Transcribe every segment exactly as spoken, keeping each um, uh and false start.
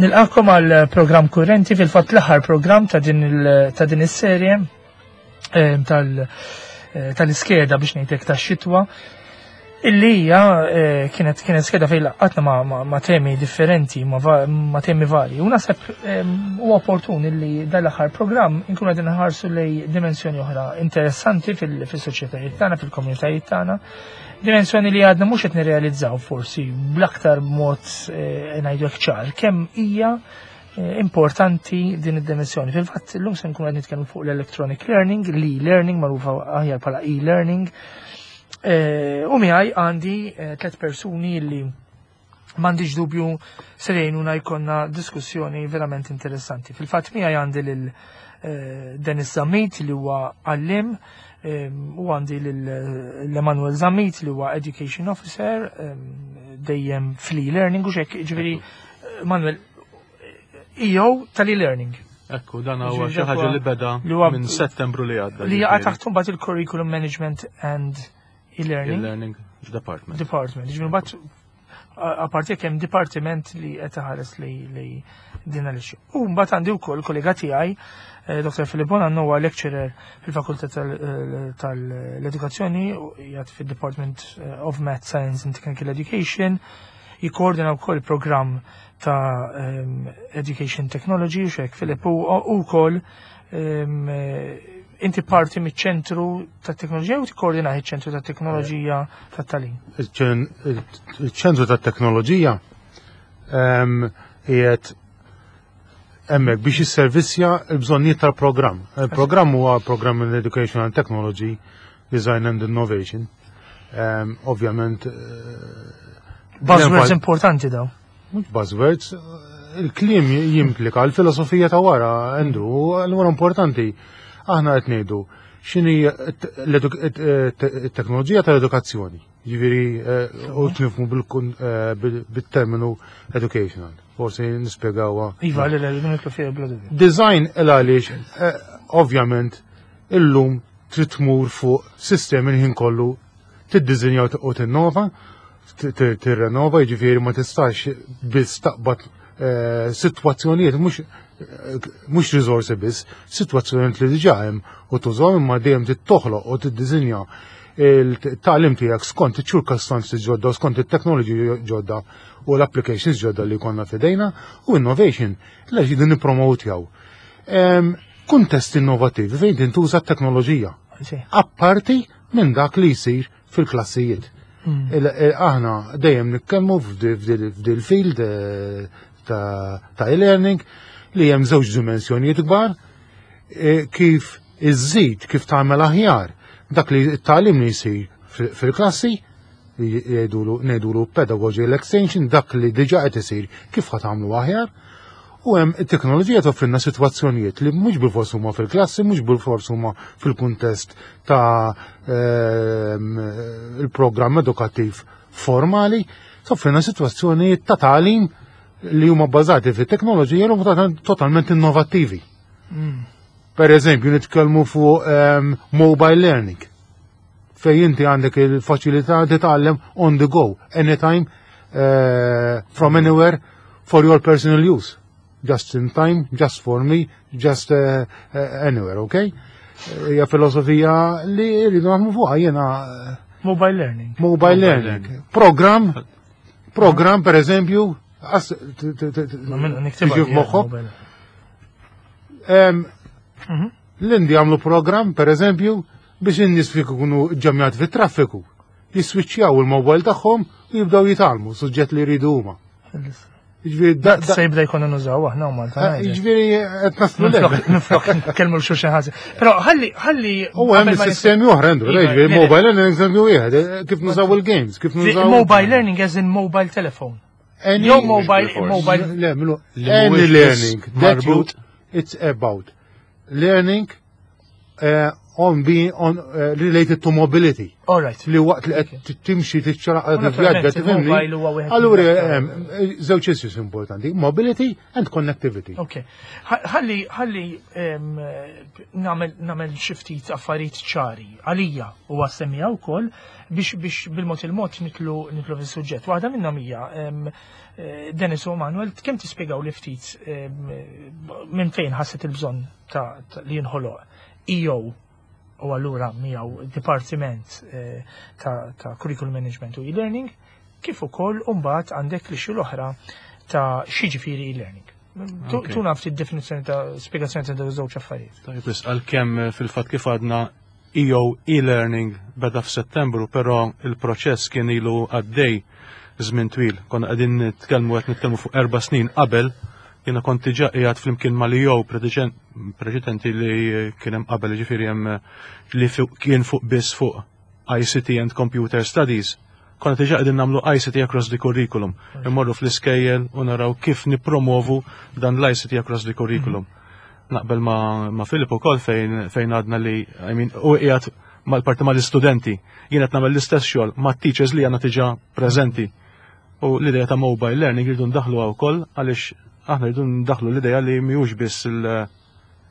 Nilqakom għal programm kurrenti, fil-fatt l-aħħar programm ta' din il- ta' din is-serje eh, tal- eh, tal-iskeda biex ngħidlek tax-xitwa. Illi hija eh, kienet kienet skeda fejn laqqatna ma, ma, ma temi differenti, ma, va, ma temi vari. U naħseb huwa opportun illi dal-aħħar programm inkunu qegħdin nħarsu lej dimensjoni oħra interessanti fil-soċjetajiet tagħna, fil-komunitajiet tagħna. Dimensjoni li għadna mhux qed nirrealizzaw forsi bl-aktar mod eh, ngħidu hekk ċar kemm hija eh, importanti din id-dimensjoni. Fil-fatt illum se nkunu qed nitkellmu fuq l-electronic learning, l-e-learning magħrufa aħjar bħala e-learning. Eh, U miegħi għandi eh, tliet persuni li m'għandix dubju se jgħinuna jkollna diskussjoni verament interessanti. Fil-fatt miegħi għandi lil eh, Dennis Zammit li huwa għallim u għandi lil Emanuel Zammit li huwa Education Officer dejjem fl-e-learning u xek, ġifieri Manuel, E O tal-e-learning. Ekku, dan huwa xi ħaġa li beda minn Settembru li għadda. Li jaqa' taħt mbagħad il-Curriculum Management and E-Learning E-Learning Department. Department. Ġifieri mbagħad apparti jekk hemm dipartiment li qed iħares li li din għaliex. U mbagħad għandi wkoll kollega tiegħi eh, Doktor Filip Bonanno, huwa lecturer fil-Fakultà tal-Edukazzjoni, jgħid fid-Department eh, of Math, Science and Technical Education, jikkoordina wkoll programm ta' um, Education Technology, u xek Filip, u wkoll um, inti parti miċ-ċentru ta' teknoloġija u tikkoordina iċ-ċentru ta' teknoloġija ta' tagħlim. Il-ċentru ta' teknoloġija qiegħed hemmhekk biex jisservissja l-bżonnijiet tal-programm. Il-programm huwa programm in Educational Technology, Design and Innovation. Ovvjament. Buzzwords importanti daw. Mhux buzzwords, il-kliem jimplika l-filosofija ta' wara, Andrew, allura importanti. Aħna qed ngħidu x'inhi t-teknoloġija tal-edukazzjoni. Jiġifieri u nifhmu bil-terminu educational. Forsi nispjegawha. Iva, le, le, nitlu fiha bla dubju. Design il għaliex ovvjament illum trid tmur fuq sistemi ħin kollu tiddiżinja u tinnova, tirrenova, jiġifieri ma tistax biss taqbad sitwazzjonijiet mhux mhux riżorsi biss, sitwazzjonijiet li diġà hemm u tużhom, imma dejjem tittoħloq u tiddiżinja il-tagħlim tiegħek skont iċ-ċirkostanzi ġodda, skont it-teknoloġiji ġodda u l-applications ġodda li konna fidejna, u innovation li ġidu nippromotjaw. Kuntest innovativi fejn tintuża t-teknoloġija. Apparti minn dak li jsir fil-klassijiet. Aħna dejjem nitkellmu f'dil field ta' e-learning li hemm żewġ dimensjonijiet kbar, kif iżżid, kif tagħmel aħjar dak li t-tagħlim li jsir fil-klassi, ngħidulu pedagogical extension, dak li diġà qed isir kif ħa tagħmlu aħjar, u hemm it-teknoloġija toffrilna sitwazzjonijiet li mhux bilfors huma fil-klassi, mhux bilfors huma fil-kuntest ta' il-programm edukattiv formali, toffrilna sitwazzjonijiet ta' tagħlim li huma bbażati fit-teknoloġija li huma totalment innovattivi. Per eżempju, nitkellmu fuq mobile learning, fej inti għandek il-faċilità titgħallem on the go, anytime, uh, from anywhere, for your personal use. Just in time, just for me, just uh, uh, anywhere, okay? Hija filosofija li rridu naħdmu fuqha jiena. Mobile learning. Mobile learning. Program, program per eżempju, tiġi f'moħħok. L-Indi għamlu program, per eżempju, biex in-nies fi ikunu ġamjat fit-traffiku, jiswiċċjaw il-mobile tagħhom u jibdew jitgħallmu suġġett li jridu huma. Jiġifieri da- da- Se jibda jkunu nużaw aħna u Malta. Eh, Jiġifieri qed naslu le. Minflok nkellmu l xulxin ħażin. Però ħalli ħalli U hemm qabel ma sistemi oħra, Andrew, Iva, jiġifieri le, le. mobile learning eżempju wieħed, eh, kif nużaw il-games, kif nużaw Mobile learning as in mobile telephone. Any Jew mobile Force. mobile Le, milu, Li any mhuwiex learning biss that you marbut. It's about learning uh, on being on uh, related to mobility. All right. Li waqt li qed timxi tiċċaraq tivvjaġġa tifhimni. Allura żewġ issues importanti, mobility and connectivity. Ok. Ħalli ħalli nagħmel nagħmel xi ftit affarijiet ċari għalija u għas-semmiegħa wkoll biex biex bil-mod il-mod nidħlu nidħlu fis-suġġett. Waħda minnhom hija eh, Dennis u Manuel, kemm tispjegaw li ftit minn fejn ħasset il-bżonn ta' li jinħoloq E O u allura miegħu dipartiment eh, ta', ta curriculum management u e-learning, kif ukoll mbagħad għandek li xi l-oħra ta' x'jiġifieri e-learning. Tuna ftit definizzjoni ta' spjegazzjoni ta' dawn żewġ affarijiet. Tajjeb, għalkemm eh, fil-fatt kif għadna E O e-learning beda f'Settembru, però il-proċess kien ilu għaddej żmien twil. Konna qegħdin nitkellmu qed nitkellmu fuq erba' snin qabel. Jiena kont diġà qiegħed flimkien mal-E O preċedenti li kien hemm qabel, ġifieri hemm li kien fuq biss fuq I C T and Computer Studies. Konna diġà qegħdin nagħmlu I C T across the curriculum. Immorru fl-iskejjel u naraw kif nipromovu dan l-I C T across the curriculum. Naqbel ma, ma Filip ukoll fejn fejn għadna li, I mean, u qiegħed mal-parti mal-istudenti. Jien qed nagħmel l-istess xogħol ma' teachers li għandna diġà preżenti. U l-idea ta' mobile learning rridu ndaħlu wkoll għaliex aħna rridu ndaħlu l-idea li mhijiex biss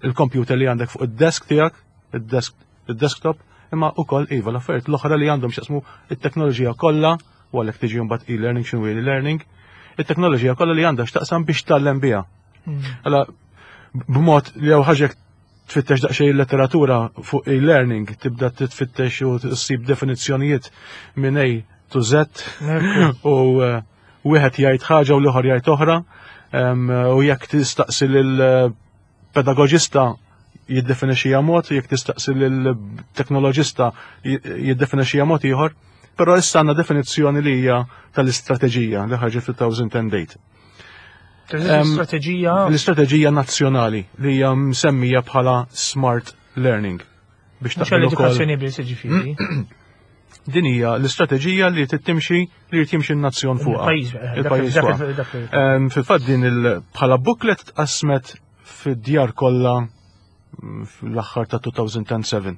il-computer li għandek fuq id-desk tiegħek, id-desktop, imma ukoll iva l-affarijiet l-oħra li għandhom x'jaqsmu it-teknoloġija kollha, u għalhekk tiġi mbagħad e-learning, x'inhu e-learning, it-teknoloġija kollha li għandha x'taqsam biex tgħallem biha. Alla b'mod li jew ħaġa tfittex daqsxejn letteratura fuq e-learning, tibda titfittex u tsib definizzjonijiet minn A to Z u eh, wieħed jgħid ħaġa u l-ieħor jgħid oħra u jekk tistaqsi lil-pedagogista jiddefinixxija mod, jekk tistaqsi lil-teknoloġista jiddefinixxija mod ieħor, però issa għandna definizzjoni li hija tal-istrateġija li ħarġet fil-elfejn u tmienja. L-istrateġija L-istrateġija nazzjonali li hija msemmija bħala Smart Learning. Biex taqbel l-edukazzjoni biss, ġifieri. Din hija l-istrateġija li tittimxi li jrid jimxi n-nazzjon fuqha. Il-pajjiż. Fil-fatt din bħala booklet tqasmet fid-djar kollha mm, fl-aħħar ta' elfejn u sebgħa.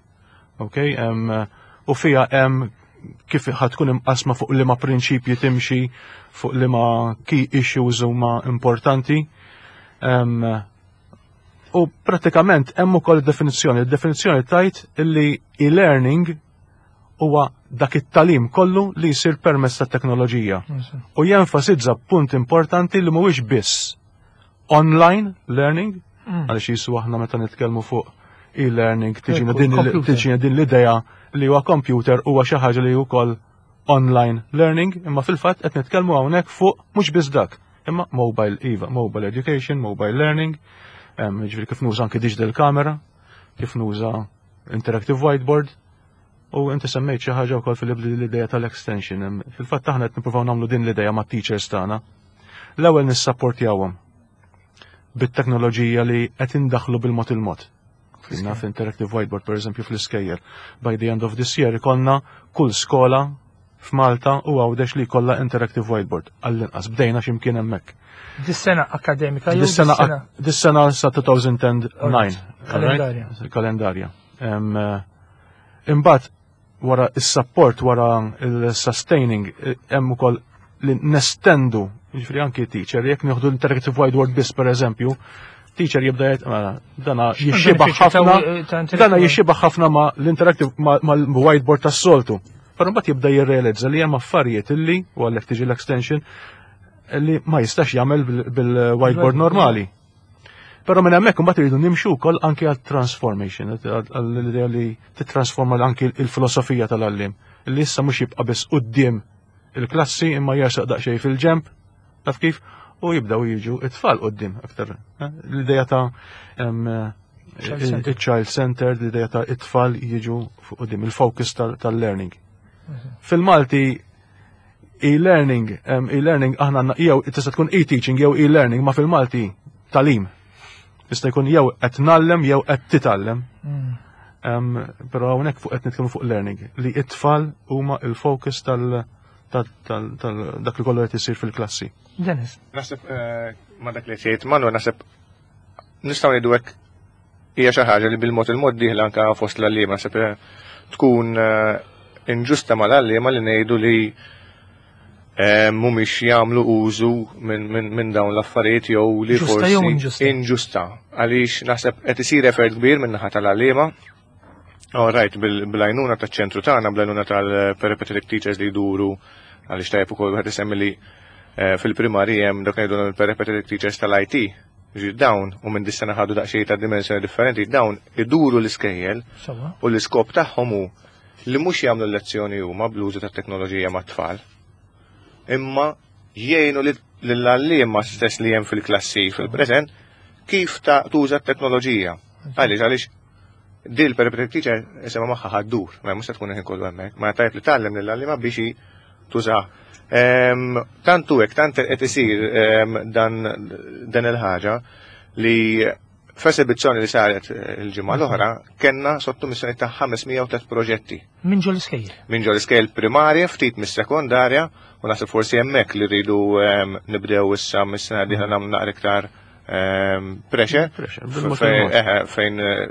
Ok, u fija hemm kif ħatkun imqasma, fuq liema prinċipji timxi, fuq liema key issues huma importanti. U pratikament hemm ukoll definizzjoni. Il-definizzjoni tgħid illi e-learning huwa dak it-tagħlim kollu li jsir permezz ta' teknoloġija. U jenfasizza punt importanti li mhuwiex biss online learning, mm. għaliex jisu aħna meta nitkellmu fuq e-learning tiġina din tiġina din l-idea li huwa computer huwa xi ħaġa li wkoll online learning, imma fil-fatt qed nitkellmu hawnhekk fuq mhux biss dak, imma mobile iva, mobile education, mobile learning, ġifieri kif nuża anke digital camera, kif nuża interactive whiteboard. U inti semmejt xi ħaġa wkoll fil l-idea tal-extension. Fil-fatt aħna qed nippruvaw nagħmlu din l-idea mat-teachers tagħna. L-ewwel nissapportjawhom bit-teknoloġija li qed indaħlu bil-mod il-mod. Naf interactive whiteboard, per eżempju, fl-iskejjel. By the end of this year ikollna kull skola f'Malta u Għawdex li kollha interactive whiteboard. Għall-inqas bdejna x'imkien hemmhekk. Dis-sena akademika jew Dis-sena dis-sena sa elfejn u disa'. Kalendarja. Kalendarja. Eh, imbagħad wara is-support, wara il-sustaining, hemm ukoll li nestendu, ġifieri anki teacher, jekk nieħdu l-interactive whiteboard biss, per eżempju, teacher jibda jgħid, mela, dana jixxibaħ ħafna, dana jixxibaħ ħafna ma l-interactive ma l-whiteboard tas-soltu. Però mbagħad jibda jirrealizza li hemm affarijiet illi, u għalhekk tiġi l-extension, li ma jistax jagħmel bil-whiteboard normali. Però minn hemmhekk imbagħad iridu nimxu wkoll anke għal transformation, għall-idea li titrasforma anke il-filosofija tal-għallim. Li issa mhux jibqa' biss quddiem il-klassi imma jersaq daqsxejn fil-ġemp, taf kif, u jibdaw jiġu it-tfal quddiem aktar. Eh? L-idea ta' il-child centered, l-idea ta' it-tfal jiġu fuq quddiem, il-focus tal-learning. Mhm. Fil-Malti e-learning, e-learning aħna għandna jew tista' tkun e-teaching jew e-learning, ma fil-Malti tagħlim. Jista' jkun jew qed ngħallem jew qed titgħallem. Mm. Però hawnhekk fuq qed nitkellmu fuq learning li it-tfal huma il-focus tal dak li kollu qed isir fil-klassi. Dennis. Naħseb eh, ma dak li tgħid Manu, naħseb nistgħu ngħidu hekk. hija xi ħaġa li bil-mod il-mod dieħla anke fost l-għalliema naħseb eh, tkun eh, inġusta mal-għalliema li ngħidu li eh, mhumiex jagħmlu użu minn min, min dawn l-affarijiet jew li Ġusta forsi jew inġusta? Inġusta. Għaliex naħseb qed isir effort kbir minn naħa tal-għalliema. All right, bil-għajnuna taċ-ċentru tagħna, bl-għajnuna tal-peripatetic teachers li jduru, għaliex tajjeb ukoll wieħed isemmi li eh, fil-primarji hemm dak ngħidu l-peripatetic teachers tal-I T. Ġi dawn, u minn dis-sena ħadu daqsxejn ta' dimensjoni differenti, dawn iduru l-iskejjel Sewwa. u l-iskop tagħhom hu li mhux jagħmlu lezzjoni huma bl-użu tat-teknoloġija mat-tfal, imma jgħinu lill-għalliema stess li hemm fil-klassi fil-preżent kif ta' tuża t-teknoloġija. Għaliex, għaliex di l-peripatetic teacher isema magħha ħa ddur, ma mhux se tkun il-ħin kollu hemmhekk, ma tajb li tgħallem lill-għalliema biex hi tuża. Ehm, Tantu hekk, tant qed isir ehm, dan dan il-ħaġa li f'esibizzjoni li saret eh, il-ġimgħa l-oħra kellna sottomissjoni ta' ħames mija u tliet proġetti Minn ġol iskejjel. Minn ġol iskejjel primarja, ftit mis-sekondarja, u naħseb forsi hemmhekk li rridu ehm, nibdew issa mis-sena dieħla nagħmlu naqra iktar ehm, pressure Pressure, bil-mod fejn il-mod. eħe, fejn eh,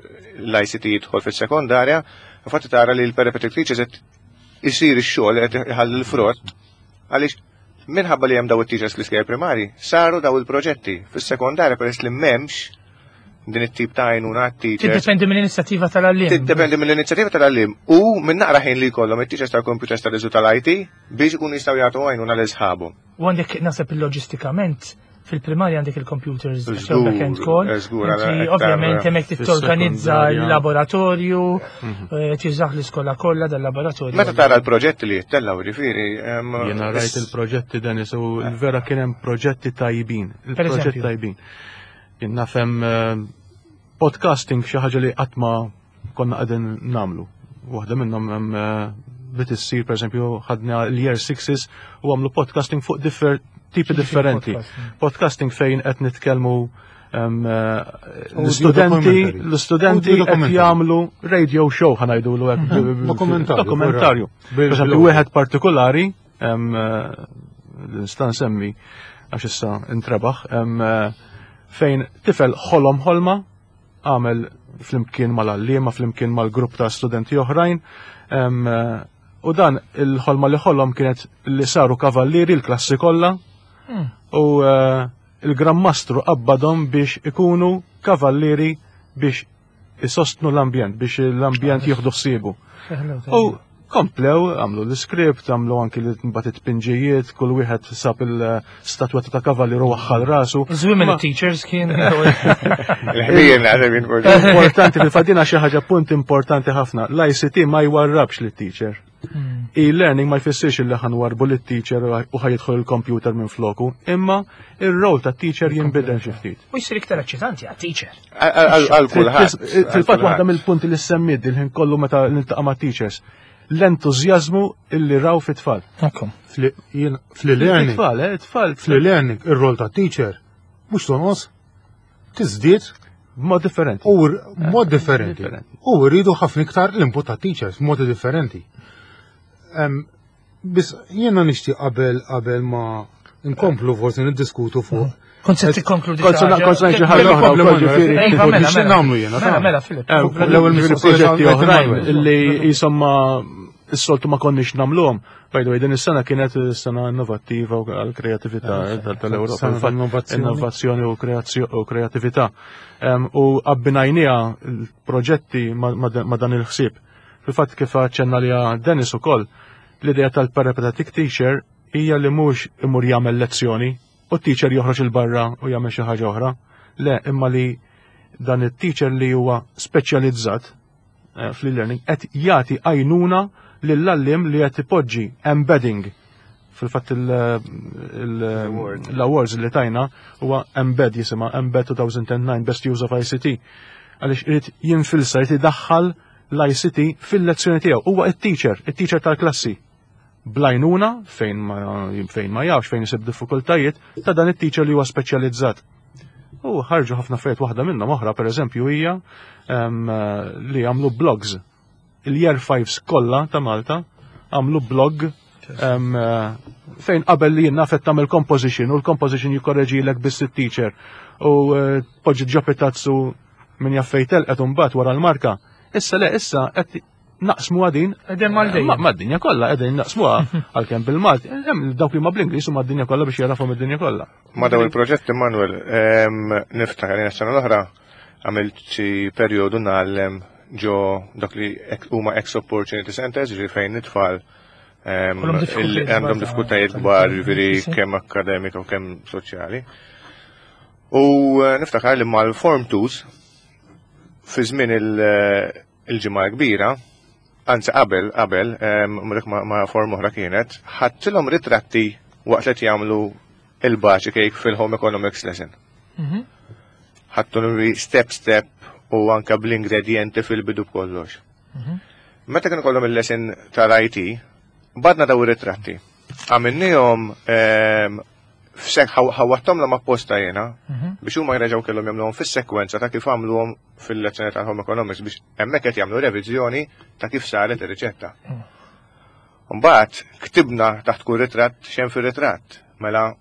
l-I C T jidħol fis-sekondarja, infatti tara li l-peripatetic teachers qed isir ix-xogħol, qed iħalli l-frott, għaliex minħabba li hemm daw it-teachers fl-iskejjel primari, saru daw il-proġetti fis-sekondarja peress li m'hemmx din it-tip ta' għajnuna għat-teachers. Tiddependi mill-inizjattiva tal-għalliem. Tiddependi mill-inizjattiva tal-għalliem u minn naqra ħin li jkollhom it-teachers tal-computers tal-iżu tal-I T biex ikunu jistgħu jagħtu għajnuna lil sħabhom. U għandek, naħseb, il-loġistikament fil-primarja għandek il-computers Żgur, back-end call. Żgur, Inti għala iktar ovvjament hemmhekk torganizza fis-sekondarja. l-laboratorju, eh, tiżaħ l-iskola kollha dal-laboratorju. Meta tara l-proġetti li jittellgħu, ġifieri. em, Jena rajt il-proġetti, Dennis, u l-vera kien hemm proġetti tajbin. Il-proġetti eżempju? tajbin. Jien nafhem eh, podcasting, xi ħaġa li qatt ma konna qegħdin nagħmlu. Waħda minnhom hemm eh, bdiet issir, pereżempju, ħadna l-year sixes u għamlu podcasting fuq differ tipi differenti. Podcasting. Podcasting fejn qed nitkellmu em, eh, Audio l-istudenti documentary. L-istudenti Audio qed documentary. jagħmlu radio show, ħa ngħidulu hekk. Dokumentarju. Dokumentarju. Bil- Per eżempju, bil- wieħed partikolari, em, eh, nista' nsemmi għax issa intrebaħ, em, eh, fejn tifel ħolom ħolma, għamel flimkien mal-għalliema, flimkien mal-grupp ta' studenti oħrajn, em, eh, u dan il-ħolma li ħolom kienet li saru kavallieri l-klassi kollha, Hmm. u eh, il-Gran Mastru qabbadhom biex ikunu kavallieri biex isostnu l-ambjent, biex l-ambjent jieħdu ħsiebu. U komplew, għamlu l-script, għamlu anki li mbagħad it-pinġijiet, kull wieħed sab il-statwetta ta' kavallier u waħħal rasu. Żwiem Ma- teachers kien. Il-ħbien għadha minn forsi. Importanti, fil-fatt xi ħaġa, punt importanti ħafna, l-I C T ma jwarrabx lit-teacher. Hmm. E-learning ma jfissirx li ħa nwarrbu lit-teacher u ħa jidħol il-computer minn floku, imma il-rol ta' teacher jinbidel xi ftit. U jsir iktar eċitanti għat-teacher. Għal kulħadd. Fil-fatt waħda mill-punti li semmid il-ħin kollu meta niltaqa' ma' teachers, l-entużjażmu illi raw fit-tfal. Ekku. Fl-learning, It-tfal, eh, it-tfal. fl-learning, ir-rol ta' teacher mhux tonqos, tiżdied B'mod differenti. u r- mod differenti. Differenti. U rridu ħafna iktar l-input ta' teachers b'modi differenti. Em, Biss jiena nixtieq qabel qabel ma nkomplu forsi niddiskutu fuq. Kont se tikkonkludi. Kont se xi ħaġa. kont se ngħid xi ħaġa oħra Kompli, wkoll, Manuel, ġifieri. Iva, mela, Nixtieq mela. nagħmlu jiena, Mela, ta' mela, Filip. Eh, L-ewwel mistoqsija proġetti ta' oħrajn Manuel. illi jisimma s-soltu ma konniex nagħmluhom. By the way, din is-sena kienet sena innovattiva u għal-kreatività tal-Ewropa. Sena Infatti, innovazzjoni. Innovazzjoni u kreazzjo- u kreatività. Em, U abbinajnieha l-proġetti ma ma- ma dan il-ħsieb. Fil-fatt kif aċċenna li Dennis ukoll, l-idea tal-peripatetic teacher hija li mhux imur jagħmel lezzjoni u t-teacher joħroġ il-barra u jagħmel xi ħaġa oħra. Le, imma li dan it-teacher li huwa speċjalizzat eh, fl-learning qed jagħti għajnuna lill-għalliem li qed ipoġġi embedding. Fil-fatt Award. l-awards li tajna huwa Embed jisimha, Embed two thousand nine Best Use of I C T. Għaliex irid jinfilsa, irid idaħħal l-I C T fil-lezzjoni tiegħu. Huwa it-teacher, it-teacher tal-klassi. Bl-għajnuna fejn ma fejn ma jafx, fejn isib diffikultajiet, ta' dan it-teacher li huwa speċjalizzat. U ħarġu ħafna affarijiet. Waħda minnhom oħra, pereżempju, hija em, li għamlu blogs. Il-Year fives kollha ta' Malta għamlu blog em, eh, fejn qabel li jiena qed tagħmel composition u l-composition jikkorreġilek biss it-teacher u eh, poġġi ġo pitazzu Min jaf fejn telqet imbagħad wara l-marka. Issa le, issa qed naqsmu din Qegħdin mal-dejjem. Mad-dinja kollha qegħdin naqsmuha għalkemm bil-Malti. Hemm dawk li ma bl-Ingliż u mad-dinja kollha biex jarafhom id-dinja kollha. Ma daw il-proġett, Manuel, em, niftakar li s-sena l-oħra għamilt xi perjodu ngħallem ġo dak li ek- huma ex opportunity centers, ġifieri fejn it-tfal em, Kollhom il- diffikultajiet għandhom kbar diffikultajiet ta' kbar, ta' ġifieri sì. kemm akademika u kemm soċjali. U eh, niftakar li mal-Form twos fi żmien il- il-ġimgħa kbira, anzi qabel, qabel, em, mrek ma, ma form oħra kienet, ħadtilhom ritratti waqt li qed jagħmlu il-baċi cake fil-home economics lesson. Mhm. Ħadtu nuri step step u anka bl-ingredienti fil-bidu b'kollox. Mhm. Meta kienu kollhom il-lesson tal-I T, badna daw ir-ritratti. Għamilnihom em, f'sek ħawattom la apposta jena Mhm. biex huma jreġgħu kellhom jagħmluhom fis-sekwenza ta' kif għamluhom fil-lezzjoni tal-home economics biex hemmhekk qed jagħmlu reviżjoni ta' kif saret ir-riċetta. Mbagħad ktibna taħt kull ritratt x'hemm fir-ritratt. Mela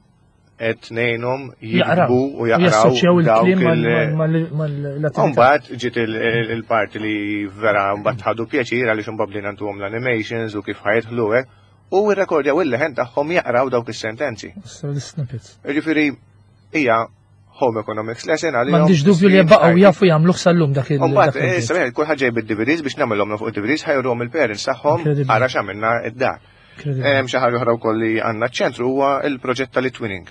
qed ngħinhom Jaqraw. jiktbu u jaqraw Jassoċjaw dawk il-kliem il- mal-attività. Mbagħad ġiet il- il- il-parti li vera mbagħad ħadu pjaċir għaliex imbagħad bdejna ntuhom l-animations u kif ħa jidħlu hekk u rrekordjaw il-leħen tagħhom jaqraw dawk is-sentenzi. L-snippets. Ġifieri hija home economics lesson għalihom. M'għandix dubju li baqgħu jafu jagħmluh sal-lum dak il- Mbagħad, dak il- issa mela, kulħadd ġej bid-D V Ds biex nagħmilhom fuq id-D V Ds ħajruhom il-parents tagħhom Incredible. ara x'għamilna id-dar. Incredible. Hemm xi ħaġa oħra wkoll li għandna ċ-ċentru huwa il-proġett tal-eTwinning,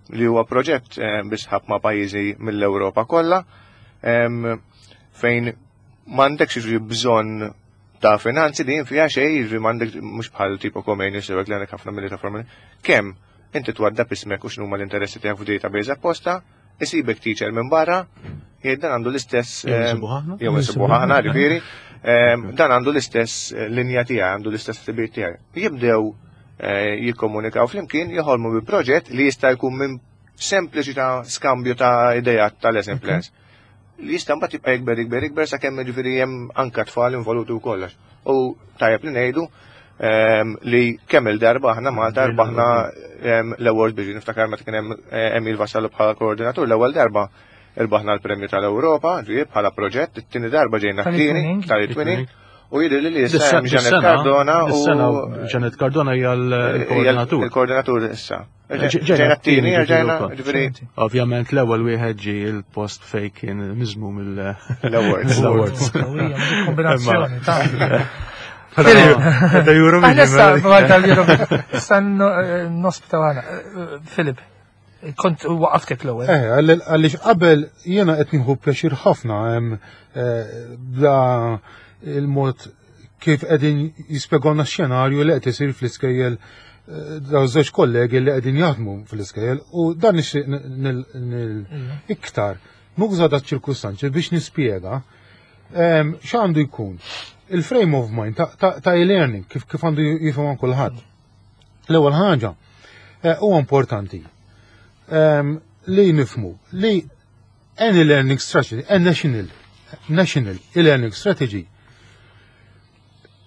li huwa proġett eh, bi sħab ma' pajjiżi mill-Ewropa kollha em, fejn m'għandekx jiġri bżonn ta' finanzi din fiha xejn, jiġri m'għandek mhux bħal tipo Comenius jew hekk li għandek ħafna milli ta' formali. Kemm inti twaddab ismek u x'numa l-interessi tiegħek f'database apposta, isibek teacher minn barra, jgħid dan għandu l-istess Jew em, insibuh aħna? jew insibuh aħna, ġifieri, em, dan għandu l-istess eh, linja tiegħi, għandu l-istess tibir tiegħi. Jibdew eh, jikkomunikaw flimkien, joħolmu bi proġett li jista' jkun minn sempliċi ta' skambju ta' idejat ta' lesson plans. Li jista' mbagħad jibqa' jikber, jikber, jikber sakemm ġifieri hemm anka tfal involuti u kollox. U tajjeb li ngħidu em, li kemm il-darba aħna Malta rbaħna em, l-award biex niftakar meta kien hemm eh, Emil Vassallo bħala koordinatur l-ewwel darba irbaħna l-premju tal-Ewropa, ġifieri bħala proġett, it-tieni darba ġejna t-tieni Tal-eTwinning. tal-eTwinning u jidher li issa hemm Janet Cardona u Dis-sena Janet Cardona hija l-koordinatur. Il-koordinatur issa. Ġejna Ġejna t-tieni, t-tieni, ġejna, ġifieri ġifieri Ovvjament l-ewwel wieħed ġi il-post fej kien miżmum il- l-awards. L-awards. Qawwija, dik kombinazzjoni ta' Ta' Eurovision. Aħna issa tal-Eurovision. Issa nospita għana. Filip, kont waqaftek l-ewwel. Eh, għalli- għaliex qabel jiena qed nieħu pjaċir ħafna hemm eh, bla il-mod kif qegħdin jispjegawna x-xenarju li qed isir fl-iskejjel eh, daw żewġ kollegi li qegħdin jaħdmu fl-iskejjel u dan nixtieq nil- nil- iktar nuża da ċirkustanzi biex nispjega em, x'għandu jkun il-frame of mind ta' ta' ta' e-learning kif kif għandu jifhom kulħadd. L-ewwel ħaġa eh, huwa importanti em, li nifmu li any learning strategy, a national, national e-learning strategy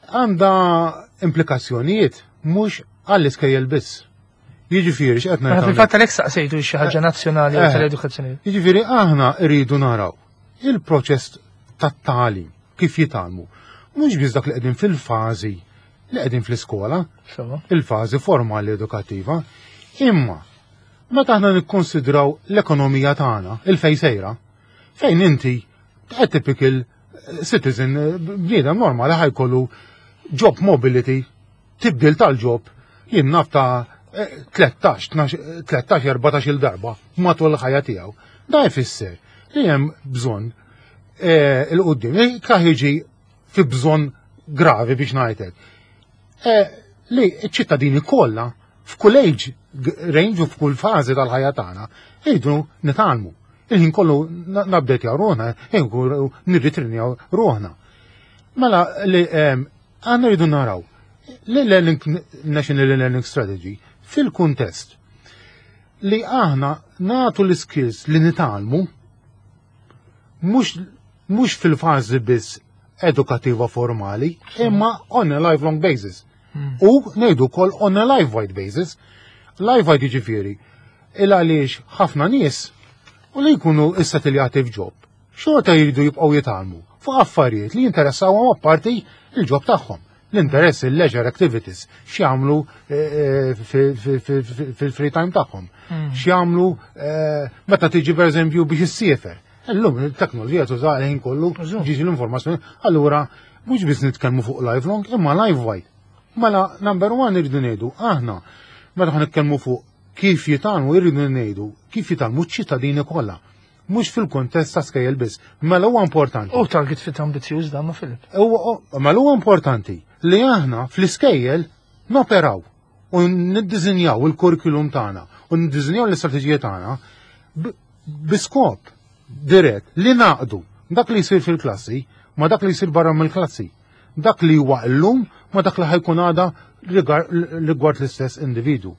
għandha implikazzjonijiet mhux għall-iskejjel biss. Jiġifieri x'qed Mela ngħid fil-fatt għalhekk saqsejtu xi ħaġa nazzjonali u Eh. tal-edukazzjoni. Jiġifieri aħna rridu naraw il-proċess tat-tagħlim kif jitgħallmu. Mhux biss dak li qegħdin fil-fażi li qegħdin fl-iskola, Sewwa. il-fażi formali edukattiva, imma meta aħna nikkonsidraw l-ekonomija tagħna, il-fej sejra, fejn inti a typical citizen, bniedem normali ħa jkollu job mobility, tibdil tal-job, jien naf ta' eh, tlettax, tlettax, erbatax il-darba matul il-ħajja tiegħu. Da jfisser li hemm bżonn eh, il-qudiem, kaħ jiġi fi bżonn gravi biex ngħidlek. Eh, li ċ-ċittadini kollha f'kull age range u f'kull fażi tal-ħajja tagħna jridu nitgħallmu. Il-ħin kollu nabdetjaw ruħna, il-ħin kollu nirritrinjaw ruħna. Mela li em, għandna rridu naraw li learning National Learning Strategy fil-kuntest li aħna natu l-skills li nitgħallmu mhux mhux fil-fażi biss edukativa formali, imma on a lifelong basis. U ngħidu wkoll on a life-wide basis. Life-wide jiġifieri il għaliex ħafna nies u li jkunu issetiljati f'job. Xorta jridu jibqgħu jitgħallmu fuq affarijiet li jinteressawhom apparti il-job tagħhom. L-interess, il-leisure activities, x'jagħmlu eh, fil-free time tagħhom. X'jagħmlu eh, meta tiġi, pereżempju, biex issiefer. Illum il-teknoloġija tuża ħin kollu ġiġi l-informazzjoni, allura mhux biss nitkellmu fuq lifelong, imma life wide. Mela, number one, irridu ngħidu aħna meta ħa nitkellmu fuq kif jitgħallmu, irridu ngħidu kif jitgħallmu ċ-ċittadini kollha. Mhux fil-kuntest ta' skejjel biss. Mela huwa importanti. U target fit ambizzjuż dan ma, Filip. Mela huwa importanti li aħna fl-iskejjel noperaw u niddiżinjaw il-kurrikulum tagħna u niddiżinjaw l-istrateġija tagħna biskop dirett li naqdu dak li jsir fil-klassi ma dak li jsir barra mill-klassi. Dak li huwa llum ma dak li ħa jkun għada rigward l-istess individu.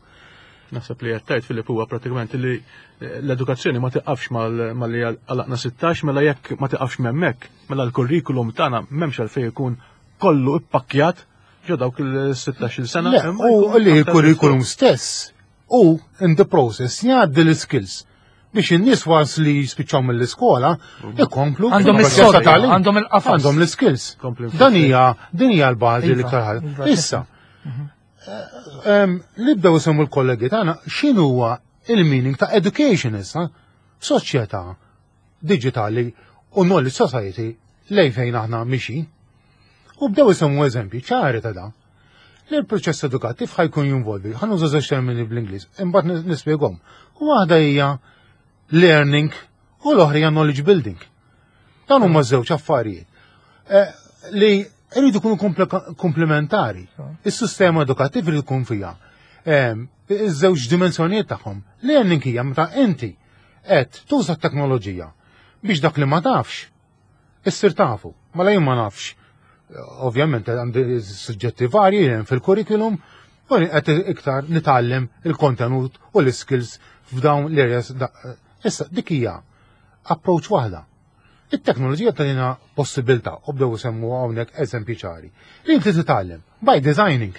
Naħseb li għedt, Filip, huwa pratikament li l-edukazzjoni ma tiqafx mal-li għalaqna sittax, mela jekk ma tiqafx hemmhekk, mela l-kurrikulum tagħna m'hemmx għalfejn ikun kollu ippakkjat ġo dawk il-sittax-il sena. U li l-kurrikulum stess u in the process jgħaddi l-skills biex in-nies wars li jispiċċaw mill-iskola ikomplu Għandhom is-sodda, għandhom il-qafas. Għandhom l-skills. Dan hija din hija l-bażi li iktar ħaġa. Issa, li bdew isemmu l-kollegi tagħna, x'inhu huwa il-meaning ta' education issa soċjetà digitali u knowledge society lejn fejn aħna mixi. U bdew isemmu eżempji ċari ta' da. Li l-proċess edukattiv ħa jkun jinvolvi, ħa nuża żewġ termini bl-Ingliż, imbagħad nispjegahom. U waħda hija learning u l-oħra hija knowledge building. Dan huma żewġ affarijiet eh, li jridu jkunu komplementari. Is-sistema edukattiv irid ikun fiha iż-żewġ dimensjonijiet tagħhom. Learning hija meta inti qed tuża t-teknoloġija biex dak li ma tafx issir tafu. Mela jien ma nafx. Ovvjament għandi suġġetti varji fil-curriculum u qed iktar nitgħallem il-kontenut u l-skills f'dawn l-areas. Issa dik hija approach waħda. It-teknoloġija tagħtina possibilità, u bdew semmu hawnhekk eżempji ċari, li inti titgħallem by designing.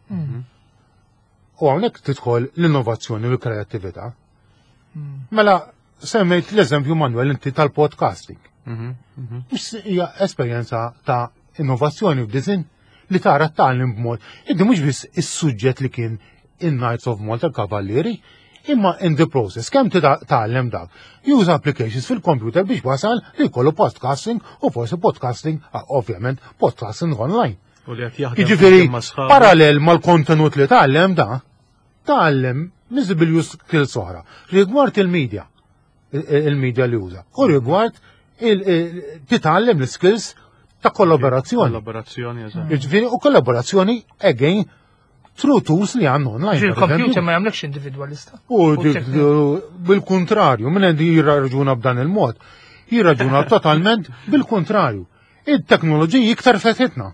Mhm. U hawnhekk tidħol l-innovazzjoni u l-kreattività. Mm. Mela semmejt l-eżempju, Manuel, inti tal-podcasting. Mhm, mhm. Mhux hija esperjenza ta' innovazzjoni u design li tara tgħallem b'mod. Inti mhux biss is-suġġett li kien in-Knights of Malta, Kavallieri, imma in the process, kemm tgħallem dak? Use applications fil-computer biex wasal li jkollu podcasting u forsi podcasting, ah, ovvjament, podcasting online. U li qed jaħdem Jiġifieri, ma' sħabu. Parallel mal-kontenut li tgħallem da, tgħallem miżibilju skills oħra. Rigward il-media, il-media li uża, u rigward il- il- titgħallem l-skills ta' kollaborazzjoni. Kollaborazzjoni, eżatt. Jiġifieri, u kollaborazzjoni again through tools li għandna online, per Il-computer eżempju. ma jagħmlekx individwalista. U dik- bil-kontrarju, minn għandi jirraġuna b'dan il-mod, jirraġuna totalment bil-kontrarju. Il-teknoloġiji iktar fetħitna.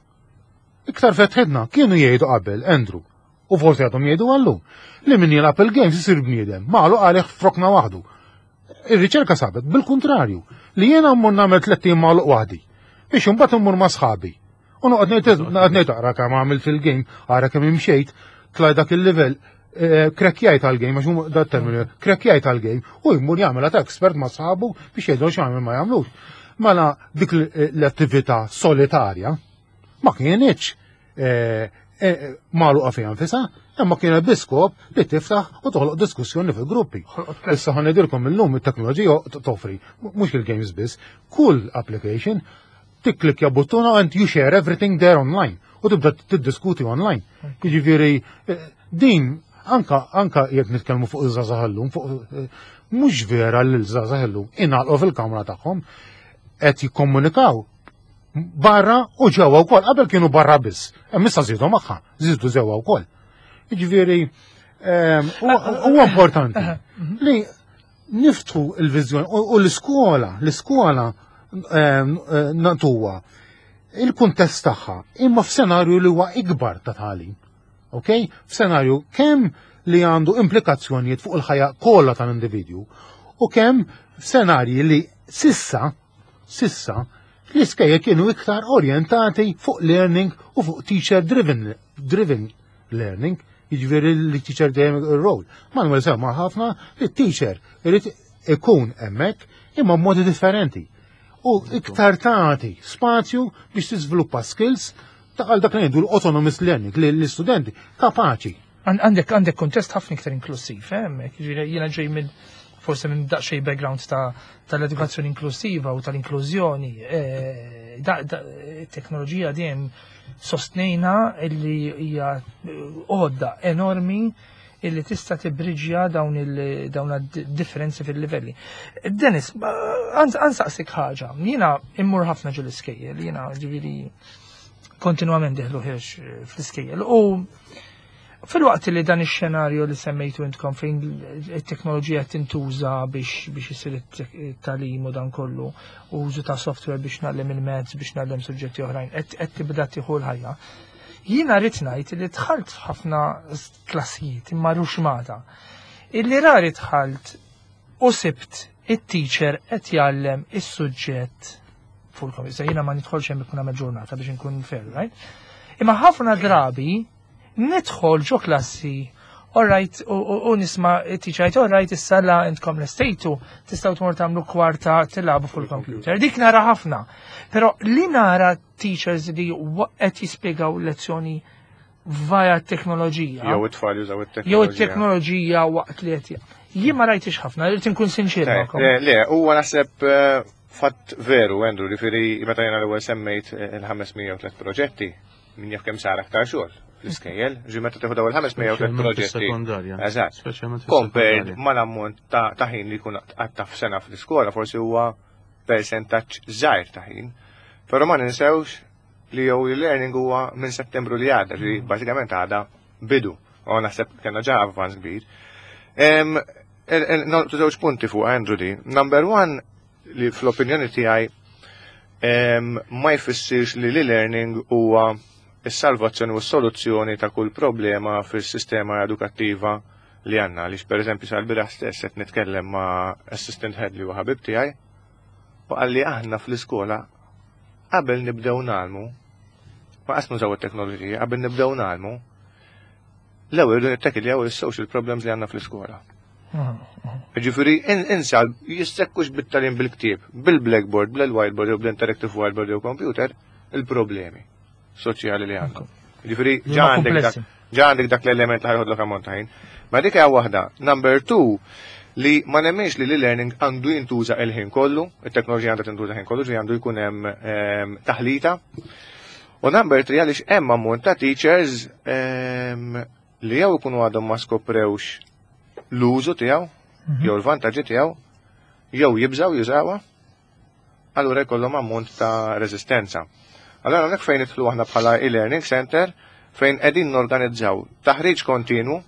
Iktar fetħitna, kienu jgħidu qabel, Andrew, u forsi għadhom jgħidu għallum, li min jilgħab il-games isir bniedem, magħluq għalih f'rokna waħdu. Ir-riċerka sabet bil-kontrarju, li jiena mmur nagħmel tlett ijiem magħluq waħdi, biex imbagħad immur ma' sħabi. U noqgħod ngħid noqgħod ngħid ara kemm għamilt fil-game, ara kemm imxejt, tlaj dak il-level, eh, krekjajt għal-game, għax huma dat terminu, krekjajt għal-game, u jmur jagħmel ta' expert ma' sħabu biex jgħidu x'għamel ma jagħmlux. Mela dik l-attività solitarja ma kienitx eh, eh, magħluqa fiha nfisha, imma kienet biskop li tiftaħ u toħloq diskussjoni fil-gruppi. Issa ħa ngħidilkom, illum it-teknoloġija toffri, mhux il-games biss, kull application tikklikja buttuna and you share everything there online u tibda tiddiskuti online. Jiġifieri eh, din anka anka jekk nitkellmu fuq iż-żgħażagħ illum, fuq eh, mhux vera li l-żgħażagħ illum ingħalqu fil-kamra tagħhom, qed jikkomunikaw barra u ġewwa wkoll. Qabel kienu barra biss, hemm issa żiedu magħha, żiedu ġewwa wkoll. Jiġifieri ehm, huwa huwa importanti li niftħu il-viżjoni u u l-iskola, l-iskola ehm, eh, natuwa il-kuntest tagħha imma f'senarju li huwa ikbar ta' tagħlim. Ok? F'senarju kemm li għandu implikazzjonijiet fuq il-ħajja kollha tal-individwu u kemm f'senarji li sissa sissa l-iskejjel kienu iktar orientati fuq learning u fuq teacher driven driven learning, jiġifieri li teacher dejjem ir-role. Manuel semma ħafna li teacher irid ikun hemmhekk. Imma modi differenti. U iktar tagħti spazju biex tiżviluppa skills ta' għal dak li ngħidu l-autonomous learning li l-istudenti kapaċi. Għandek għandek kontest ħafna iktar inklusiv, eh, hemmhekk. Ġifieri jiena ġej minn forse minn daqsxejn background ta' tal-edukazzjoni inklusiva u tal-inklużjoni. Eh, teknoloġija dejjem sostnejna illi hija għodda enormi illi tista' tibriġja dawn il dawn differenzi fil-livelli. Dennis, ansaqsik ħaġa, jiena immur ħafna ġol iskejjel, jiena ġifieri kontinwament dieħel u ħiereġ fl-iskejjel. U fil-waqt li dan ix-xenarju li semmejtu intkom fejn it-teknoloġija tintuża biex biex isir it-tagħlim u dan kollu, użu ta' software biex ngħallem il-mezz, biex ngħallem suġġetti oħrajn, qed tibda tieħu l-ħajja. Jiena rrid ngħid li dħalt f'ħafna klassijiet imma ruxmata. Illi rari dħalt u sibt it-teacher qed jgħallem is-suġġett fuq il-computer. Jiena ma nidħolx hemm ikun għamel ġurnata biex inkun fair, right? Imma ħafna drabi nidħol ġo klassi, alright, u nisma' it-teacher jgħid, alright, issa la intkom lestejtu, tistgħu tmur tagħmlu kwarta tilagħbu fuq il-computer. Dik nara ħafna. Però li nara teachers li qed jispjegaw lezzjoni via teknoloġija. Jew it-tfal jużaw it-teknoloġija. Jew it-teknoloġija waqt li qed Jien ma rajtix ħafna, irrid inkun sinċir magħkom. Le, le, huwa naħseb eh, fatt veru, Andrew, li firri meta jiena l-ewwel semmejt il-ħames mija u tliet proġetti, min jaf kemm sar aktar xogħol fl-iskejjel, ġi meta tieħu dawn il-ħames mija u tliet proġetti. Sekondarja. Eżatt. Speċjalment Compared mal-ammont ta' ħin li jkun għatta f'sena fl-iskola, forsi huwa percentaġġ żgħir ta' ħin. Però ma ninsewx li jew e-learning huwa minn Settembru li għadda, ġi bażikament għadha bidu. U naħseb kellna ġa avvanz kbir. Nolqtu żewġ punti fuq Andrew di. Number one, li fl-opinjoni tiegħi ma jfissirx li l-e-learning huwa is-salvazzjoni u s-soluzzjoni ta' kull problema fis-sistema edukattiva li għandna. Għaliex per eżempju sal-bieraħ stess qed nitkellem ma' assistant head li huwa ħabib tiegħi u qalli aħna fl-iskola qabel nibdew ngħallmu, ma qas nużaw it-teknoloġija, qabel nibdew ngħallmu, l-ewwel irridu nittakiljaw is-social problems li għandna fl-iskola. Ġifieri insa jissekkux bit-tagħlim bil-ktieb, bil-blackboard, bil-whiteboard jew bl-interactive whiteboard jew computer, il-problemi soċjali li għandhom. Ġifieri ġa għandek dak, ġa għandek dak l-element li ħa joħodlok ammont ta' ħin. Ma dik hija waħda. Number two, li ma nemmenx li l-learning għandu jintuża il-ħin kollu, it-teknoloġija għandha tintuża ħin kollu, ġi għandu jkun hemm ehm, taħlita. U number three, għaliex hemm ammont ta' teachers ehm, li jew ikunu għadhom ma skoprewx l-użu tiegħu, mhm. jew l-vantaġġi tiegħu, jew jibżaw jużawha, allura jkollhom ammont ta' reżistenza. Allora hawnhekk fejn nidħlu aħna bħala e-learning center fejn qegħdin norganizzaw taħriġ kontinu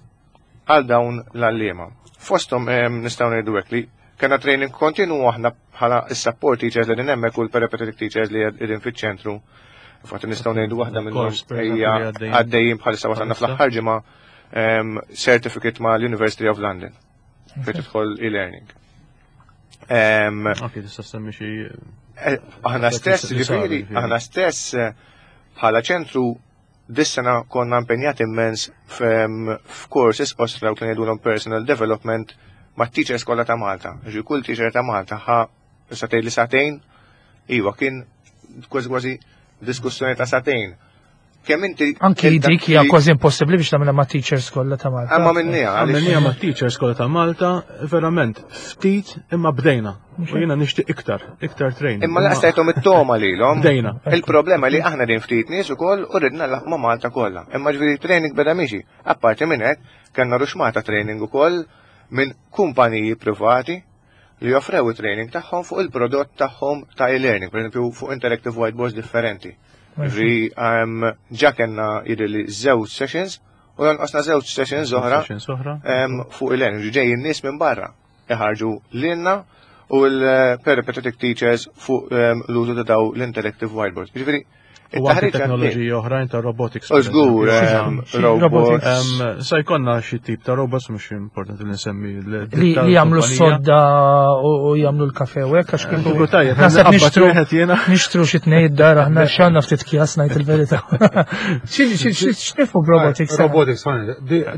għal dawn l-għalliema. Fosthom nistgħu ngħidu hekk li kena training kontinu aħna bħala is-support teachers li hemmhekk u l-peripatetic teachers li qegħdin fiċ-ċentru. Infatti nistgħu ngħidu waħda minnhom hija għaddejjin bħalissa wasalna fl-aħħar ġimgħa certificate ma' l-University of London fejn tidħol e-learning. Ok, tista' semmi xi eh, Aħna stess, ġifieri, aħna stess eh, bħala ċentru dis-sena konna impenjati immens f'courses osra u kien jgħidulhom personal development ma' teachers kollha ta' Malta. Ġi kull teacher ta' Malta ħa satej li sagħtejn, iva kien kważi kważi diskussjoni ta' sagħtejn. Kemm inti Anki dik hija kważi impossibbli biex tagħmilha ma' teachers kollha ta' Malta. Imma minnija. Għamilniha ma' teachers kollha ta' Malta, verament ftit imma bdejna. U jiena nixtieq iktar, iktar training. Imma laqas tajthom it-toma lilhom. Bdejna. Il-problema li aħna din ftit nies ukoll u ridna ma' Malta kollha. Imma ġifieri training beda miexi. Apparti minn hekk, kellna ruxmata training ukoll minn kumpaniji privati li joffrew training tagħhom fuq il-prodott tagħhom ta' e-learning, per esempio fuq interactive whiteboards differenti. Ġi ġa kellna jidher li żewġ sessions u jonqosna żewġ sessions oħra fuq e-learning. Ġej in-nies minn barra iħarġu lilna u l-peripatetic teachers fuq l-użu ta' daw l-interactive whiteboards. Ġifieri, U anke teknoloġiji oħrajn ta' robotics. U żgur, robots. Sa jkollna xi tip ta' robots mhux importanti li nsemmi. Li jagħmlu s-sodda u jagħmlu l-kafe u hekk għax kieku tajjeb. Naħseb nixtru nixtru xi tnejn id-dar aħna x'għandna ftit kjas ngħid il-verità. X'nifu b'robotics? Robotics,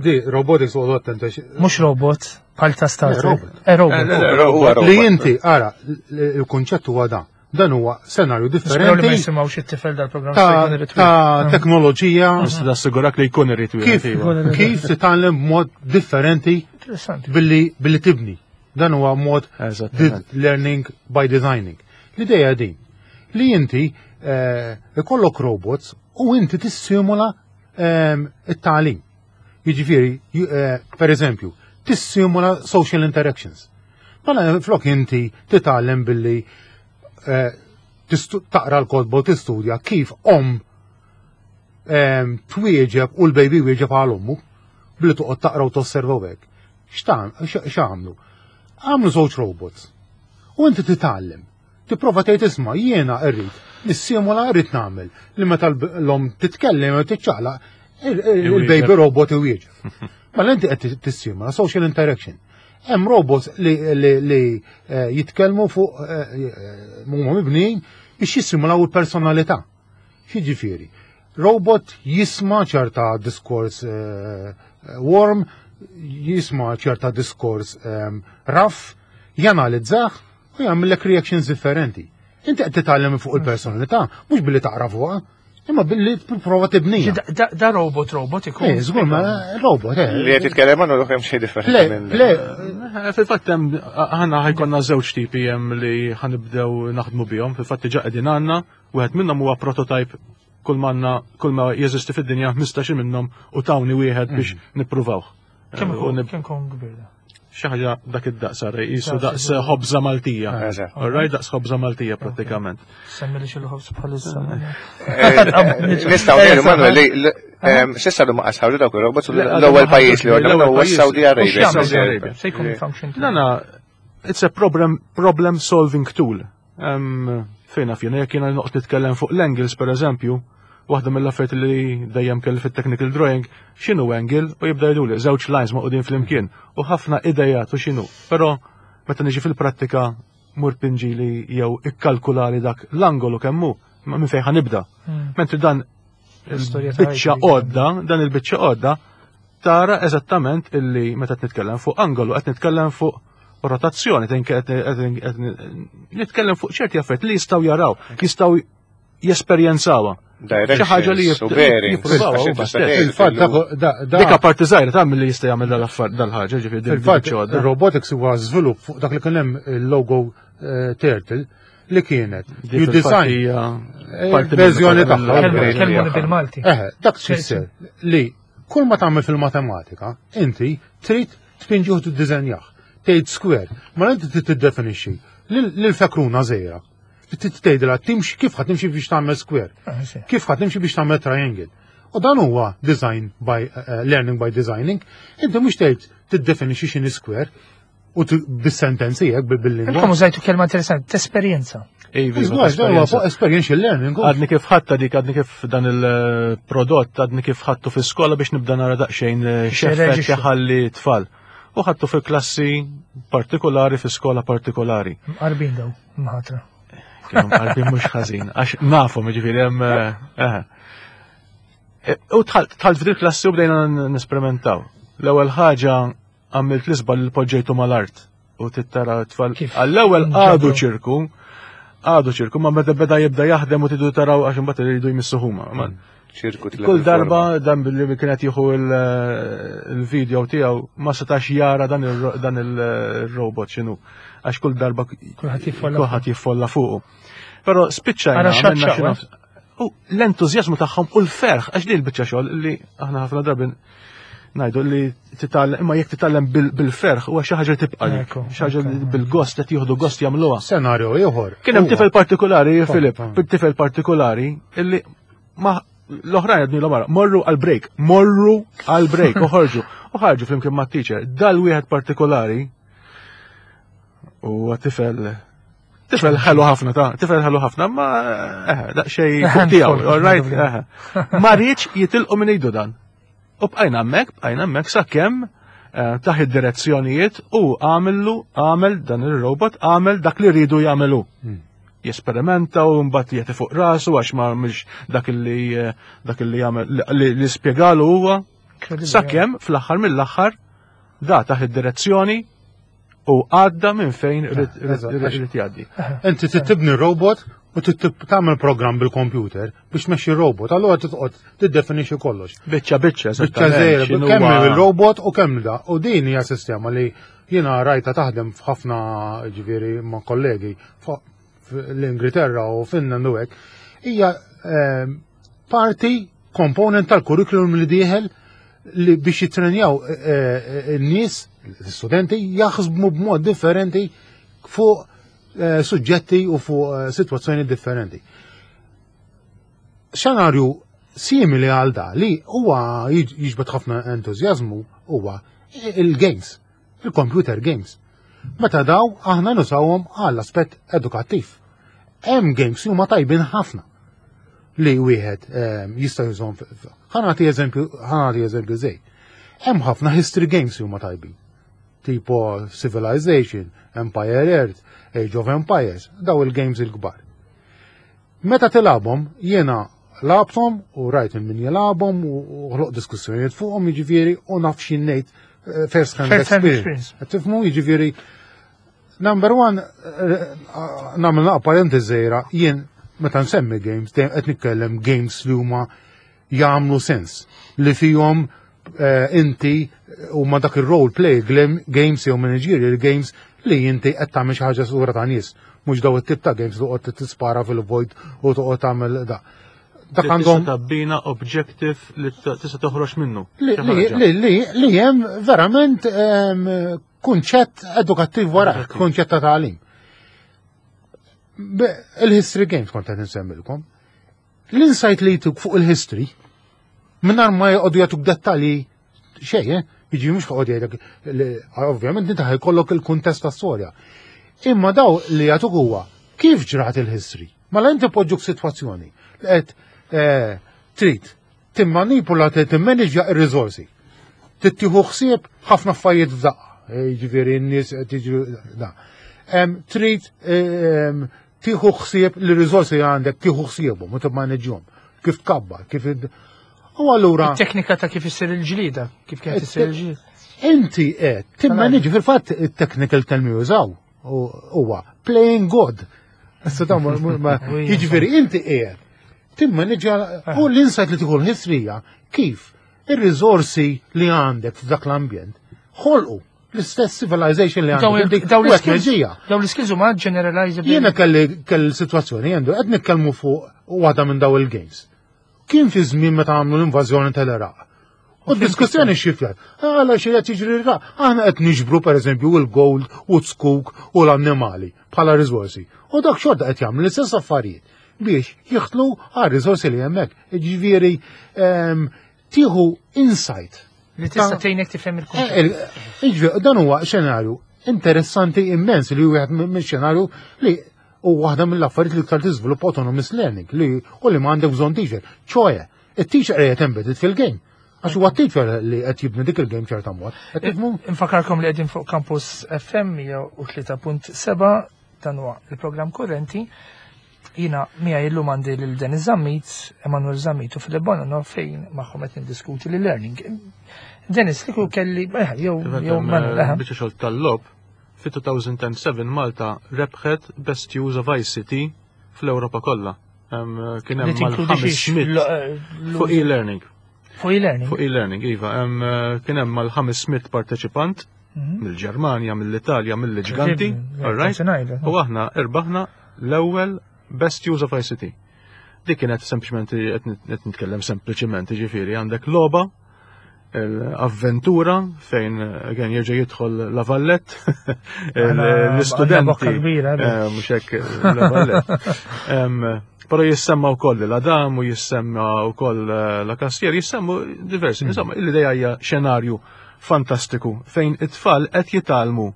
di robotics u attenta. Mhux robot. Bħal ta' Star Le, Trek. robot. Eh, robot. Eh, le, le, huwa robot. Li inti, ara, il-kunċett huwa dan. Dan huwa senarju Nisperaw li ma differenti jisimgħux it-tifel dal-programm ta' se jkun irid ta' Mm. teknoloġija Nista' nassigurak li jkun irid kif wieħed, iva. kif titgħallem b'mod differenti Interessanti. billi billi tibni. Dan huwa mod Eżattament. di- learning by designing. L-ideja din li inti eh, ikollok robots u inti tissimula ehm, it-tagħlim. Jiġifieri, ju- eh, per eżempju, tissimula social interactions. Mela flok inti titgħallem billi eh, tistu- taqra l-kotba u tistudja kif om ehm, twieġeb u l-baby wieġeb għal ommu billi toqgħod taqra u tosserva u hekk. X'tam- X'għamlu? Għamlu żewġ robots. U inti titgħallem. Tipprova tgħid isma' jiena rrid nissimula rrid nagħmel li meta l-om titkellem u tiċċaqlaq il- il- il-baby robot iwieġeb. Mela inti qed tissimula social interaction. Hemm robots li, li, li eh, jitkellmu fuq eh, eh, huma mibnijin biex jissimulaw il-personalità. X'jiġifieri? Robot jisma' ċerta diskors eh, warm, jisma' ċerta diskors um, rough, janalizzah u jagħmellek reactions differenti. Inti qed titgħallem fuq il-personalità, mhux billi taqra fuqha, imma billi tipprova tibnija. Da- Da da robot robot ikun. Eh, żgur ma robot, eh. Li qed titkellem għandu kemm xejn differenti Le, minn. le, Eh, Fil-fatt hemm aħna ħa jkollna żewġ tipi hemm li ħa nibdew naħdmu bihom. Fil-fatt diġà qegħdin għandna, wieħed minnhom huwa prototype kull manna kull ma jeżisti fid-dinja ħmistax minnhom u tawni wieħed biex nippruvawh. Kemm Eh, u ikun nib- kemm ikun kbir da? xi ħaġa dak id-daqs ara, qisu Daqs daqs iżgħar. ħobża Maltija. Eżatt. All right, daqs ħobża Maltija prattikament. Semmi li xi ħobż bħalissa. Nistgħu ngħidu Manuel li li- ehm, s'issa li ma qasħawġu dawk ir-robots u Le, għadu l-ewwel ma pajjiż li ħarġux, għandna l-ewwel huwa pajjiż. Saudi U Arabia. x'jagħmel Saudi da? Arabia. Se jkun function. Nana, it's a problem, problem solving tool. Um, fejna fjena, jekk jiena noqgħod nitkellem fuq l-angles per eżempju, waħda mill-affarijiet li dejjem kelli fit-technical drawing, x'inhu angle u jibda jgħiduli żewġ lines maqudin flimkien u ħafna idejat u x'inhu. Però meta niġi fil-prattika mur pinġili jew ikkalkulali dak l-angolu kemm hu, ma minn fejn ħa nibda. Mm. Mentri dan L-istorja ta' il-biċċa ħajti. għodda, dan il-biċċa għodda, tara eżattament illi meta qed nitkellem fuq angolu, qed nitkellem fuq rotazzjoni, qed qed- qed nitkellem fuq ċerti affarijiet li jistgħu jaraw, jistgħu jesperjenzawha. Xi ħaġa li Directions u bearings. jippruvaw għax huma inti stess. tista' Il-fatt tgħid da- da- da- Dik parti żgħira ta' milli jista' jagħmel dal-affar dal-ħaġa, ġifieri din Fil-fatt, il-biċċa għodda. il-robotics huwa żvilupp fuq dak li kien hemm il-logo eh, Turtle li kienet. Di You fil-fatt design hija eh, parti verżjoni minnha, tagħha. Kelmu- Upgrade Kelmuni tagħha. bil-Malti. Eh, dak tfisser li kull ma tagħmel fil-matematika, inti trid tpinġi u tiddiżenjah. Tgħid square, ma inti trid tiddefinixxi lil fekruna żgħira. Trid tgħidilha timxi kif ħadd timxi biex tagħmel square, Ah, sì. kif ħadd timxi biex tagħmel triangle. U dan huwa design by uh, learning by designing. Inti mhux tgħid tiddefinixxi x'inhi square u t- bis-sentenzi hekk bil-lingwa. Intom użajtu kelma interessanti, tesperjenza. Iva, Iżgħar, dan huwa esperjenza. fuq experiential learning. Għadni kif ħadta dik, għadni kif dan il-prodott, għadni kif ħadtu fi skola biex nibda nara daqsxejn eh, x'effett X'irreġixxu. jħalli tfal. U ħadtu fi klassi partikolari, fi skola partikolari. Mqarbin daw, mħatra. Kienu mqarbin mhux ħażin, għax nafhom jiġifieri hemm eh, eh. E, U dħalt dħalt f'dik klassi u bdejna n- nesperimentaw. L-ewwel ħaġa għamilt l-isba li poġġejtu mal-art u tittara tfal. Kif? Għall-ewwel għadu Nġabru. ċirku, għadu ċirku, ma meta beda jibda jaħdem u tidu taraw għax imbagħad iridu jmissu huma. Ma- ċirku tilef Kull il-forma. darba dan billi kienet jieħu il- il-video tiegħu ma setax jara dan il- dan il-robot x'inhu. Għax kull darba Kulħadd jiffolla. kulħadd jiffolla fuqu. Però spiċċajna Ara għamilna xaċċaw, xi eh? nofs- U l-entużjażmu tagħhom u l-ferħ għax li l-biċċa xogħol li aħna ħafna drabi ngħidu li titgħallem imma jekk titgħallem bil- bil-ferħ huwa xi ħaġa li tibqa' lik, Ekku, xi ħaġa li ekku. bil-gost qed jieħdu gost jagħmluha. Senarju ieħor. Kien hemm huwa- tifel partikolari, Filip, pa. tifel partikolari illi ma l-oħrajn għedni l morru għal-break, morru għal-break, u ħarġu, u ħarġu flimkien ma' teacher. Dal wieħed partikolari u tifel tifel ħelu ħafna ta' tifel ħelu ħafna, ma eh, daqsxejn fuq tiegħu, all right, eh. Ma riedx jitilqu minn idu dan. U bqajna hemmhekk, bqajna hemmhekk sakemm eh, taħ id-direzzjonijiet u għamillu, għamel dan il-robot, għamel dak li rridu jagħmelu. Hmm. Jesperimenta u mbagħad jagħti fuq rasu għax ma mhux dak li eh, dak li jagħmel li, li spjegalu huwa Incredible, sakemm fl-aħħar mill-aħħar Da taħt id-direzzjoni u għadda minn fejn irid Eżatt, irid jgħaddi. Inti trid tibni robot u trid tagħmel programm bil-computer biex tmexxi robot, allura titqgħod tiddefinixxi kollox. Biċċa biċċa, Biċċa eżattament, żgħira, x'inhu kemm huwa- il-robot u kemm da. U din hija sistema li jiena rajta taħdem f'ħafna, ġifieri, ma' kollegi l-Ingilterra u Finland u hekk. Hija ehm, parti component tal-curriculum li dieħel li biex jitrenjaw eh, eh, in-nies, l-studenti, jaħsbu b'mod differenti fuq eh, suġġetti u fuq eh, situazzjoni differenti. Xenarju simili għal da li huwa jiġ- jiġbed ħafna entużjażmu huwa il-games, il-computer games. Meta daw aħna nużawhom għall aspett edukattiv. Hemm games li huma tajbin ħafna li wieħed ehm, jista' jużhom. Ħa nagħti eżempju, ħa nagħti eżempju żej. Hemm ħafna history games li huma tajbin. Tipo Civilization, Empire Earth, Age of Empires, daw il-games il-kbar. Meta tilgħabhom, jiena lgħabthom u rajt min jilgħabhom u u ħloq diskussjonijiet fuqhom, jiġifieri, u naf xi ngħid eh, first hand First hand experience. Experience. Qed tifhmu, jiġifieri, number one, eh, eh, nagħmel naqra parentesi żgħira, jien meta nsemmi games, dejjem qed nitkellem games li huma jagħmlu sens, li fihom eh, inti huma dak il-role play games jew managerial games li inti qed tagħmel xi ħaġa sura ta' nies, mhux daw it-tip ta' games li toqgħod tispara fil-vojt u toqgħod tagħmel da. Dak Li tista' għandhom tabbina objective li t- tista' toħroġ minnu. li Xi li ħaġa. li li li hemm verament em, kunċett edukattiv wara, Edukattiv. kunċett ta' tagħlim. Be- Il-history games kont qed insemmilkom. L-insight li jtuk fuq il-history, mingħajr ma jqogħdu jagħtuk dettalji xejn, eh? Jiġi mhux joqgħod jgħidlek li- ovvjament inti ħajkollok il-kuntest tas-storja. Imma daw li jagħtuk huwa kif ġrat il-history. Mela inti poġġuk sitwazzjoni li qed eh, trid timmanipula, timmanġja ir-riżorsi. Tittieħu ħsieb ħafna affarijiet f'daqqa. Eh, Jiġifieri n-nies qed jiġru da. Em, Trid em, tieħu ħsieb li riżorsi li għandek, tieħu ħsiebhom u timmaneġġjhom. Kif tkabbar, kif id- U allura Teknika ta' kif issir il-ġlida, kif kienet issir il-ġlida. Inti qed timmaneġġi, fil-fatt it-technical term jużaw u- huwa playing God. Issa dawn ma- ma- ma- jiġifieri inti qiegħed timmaneġġja u l-insight li tieħu l-history hija kif ir-riżorsi li għandek f'dak l-ambjent ħolqu l-istess civilization li Daw għandek. il- daw U hekk l-skills meġija. daw l-skills huma generalizable. Jiena kelli kelli situazzjoni għandu qed nitkellmu fuq waħda minn daw il-games. Kien fi żmien meta għamlu l-invażjoni tal-Iraq. U d-diskussjoni xifjat. Għala xi qed jiġri l-Iraq. Aħna qed niġbru, pereżempju, il-gold u t-skuk u l-annimali bħala riżorsi. U dak xorta qed jagħmlu l-istess affarijiet biex jiħtlu għal riżorsi li hemmhekk. Ġifieri ehm, tieħu insight. Li tista' Ta- tgħinek tifhem il-kunċett. Eh, il- Iġvi, dan huwa xenarju interessanti immens li wieħed minn xenarju li u waħda mill-affarijiet li iktar tiżviluppa autonomous learning li u li m'għandek bżonn teacher. ċoe, it-teacher qiegħed embedded fil-game. Għax huwa teacher li qed jibni dik il-game ċerta mod. Qed tifhmu? Infakarkom li qegħdin fuq Campus F M mija u tlieta punt seba', dan huwa il-programm Kurrenti. Jiena miegħi illum għandi lil Denis Zammit, Emanuel Zammit u Filip Bonanno, fejn magħhom qed niddiskuti l-learning. Dennis, li kelli, eh, jew jew Manuel, eh. Biċċa xogħol tal-logħob, fi elfejn u seba' Malta rebħet Best Use of I C T fl-Ewropa kollha. Em, Kien Li hemm tinkludi xiex? mal-ħames mitt fuq e-learning. Fuq e-learning. Fuq e-learning, iva. Em, Kien hemm mal-ħames mitt parteċipant Mhm. mill-Ġermanja, mill-Italja, mill-ġganti, all right? U aħna irbaħna l-ewwel Best Use of I C T. Dik kienet sempliċement, qed nitkellem sempliċement, ġifieri għandek logħba l-avventura fejn again jerġa' jidħol La Valette, Għandna l-istudenti. bokka kbira, eh. Eh, mhux hekk La Valette. Em, Però jissemma wkoll l-Adam u jissemma wkoll eh, la Cassier, jissemmu diversi. Insomma, l-idea hija xenarju fantastiku fejn it-tfal qed jitgħallmu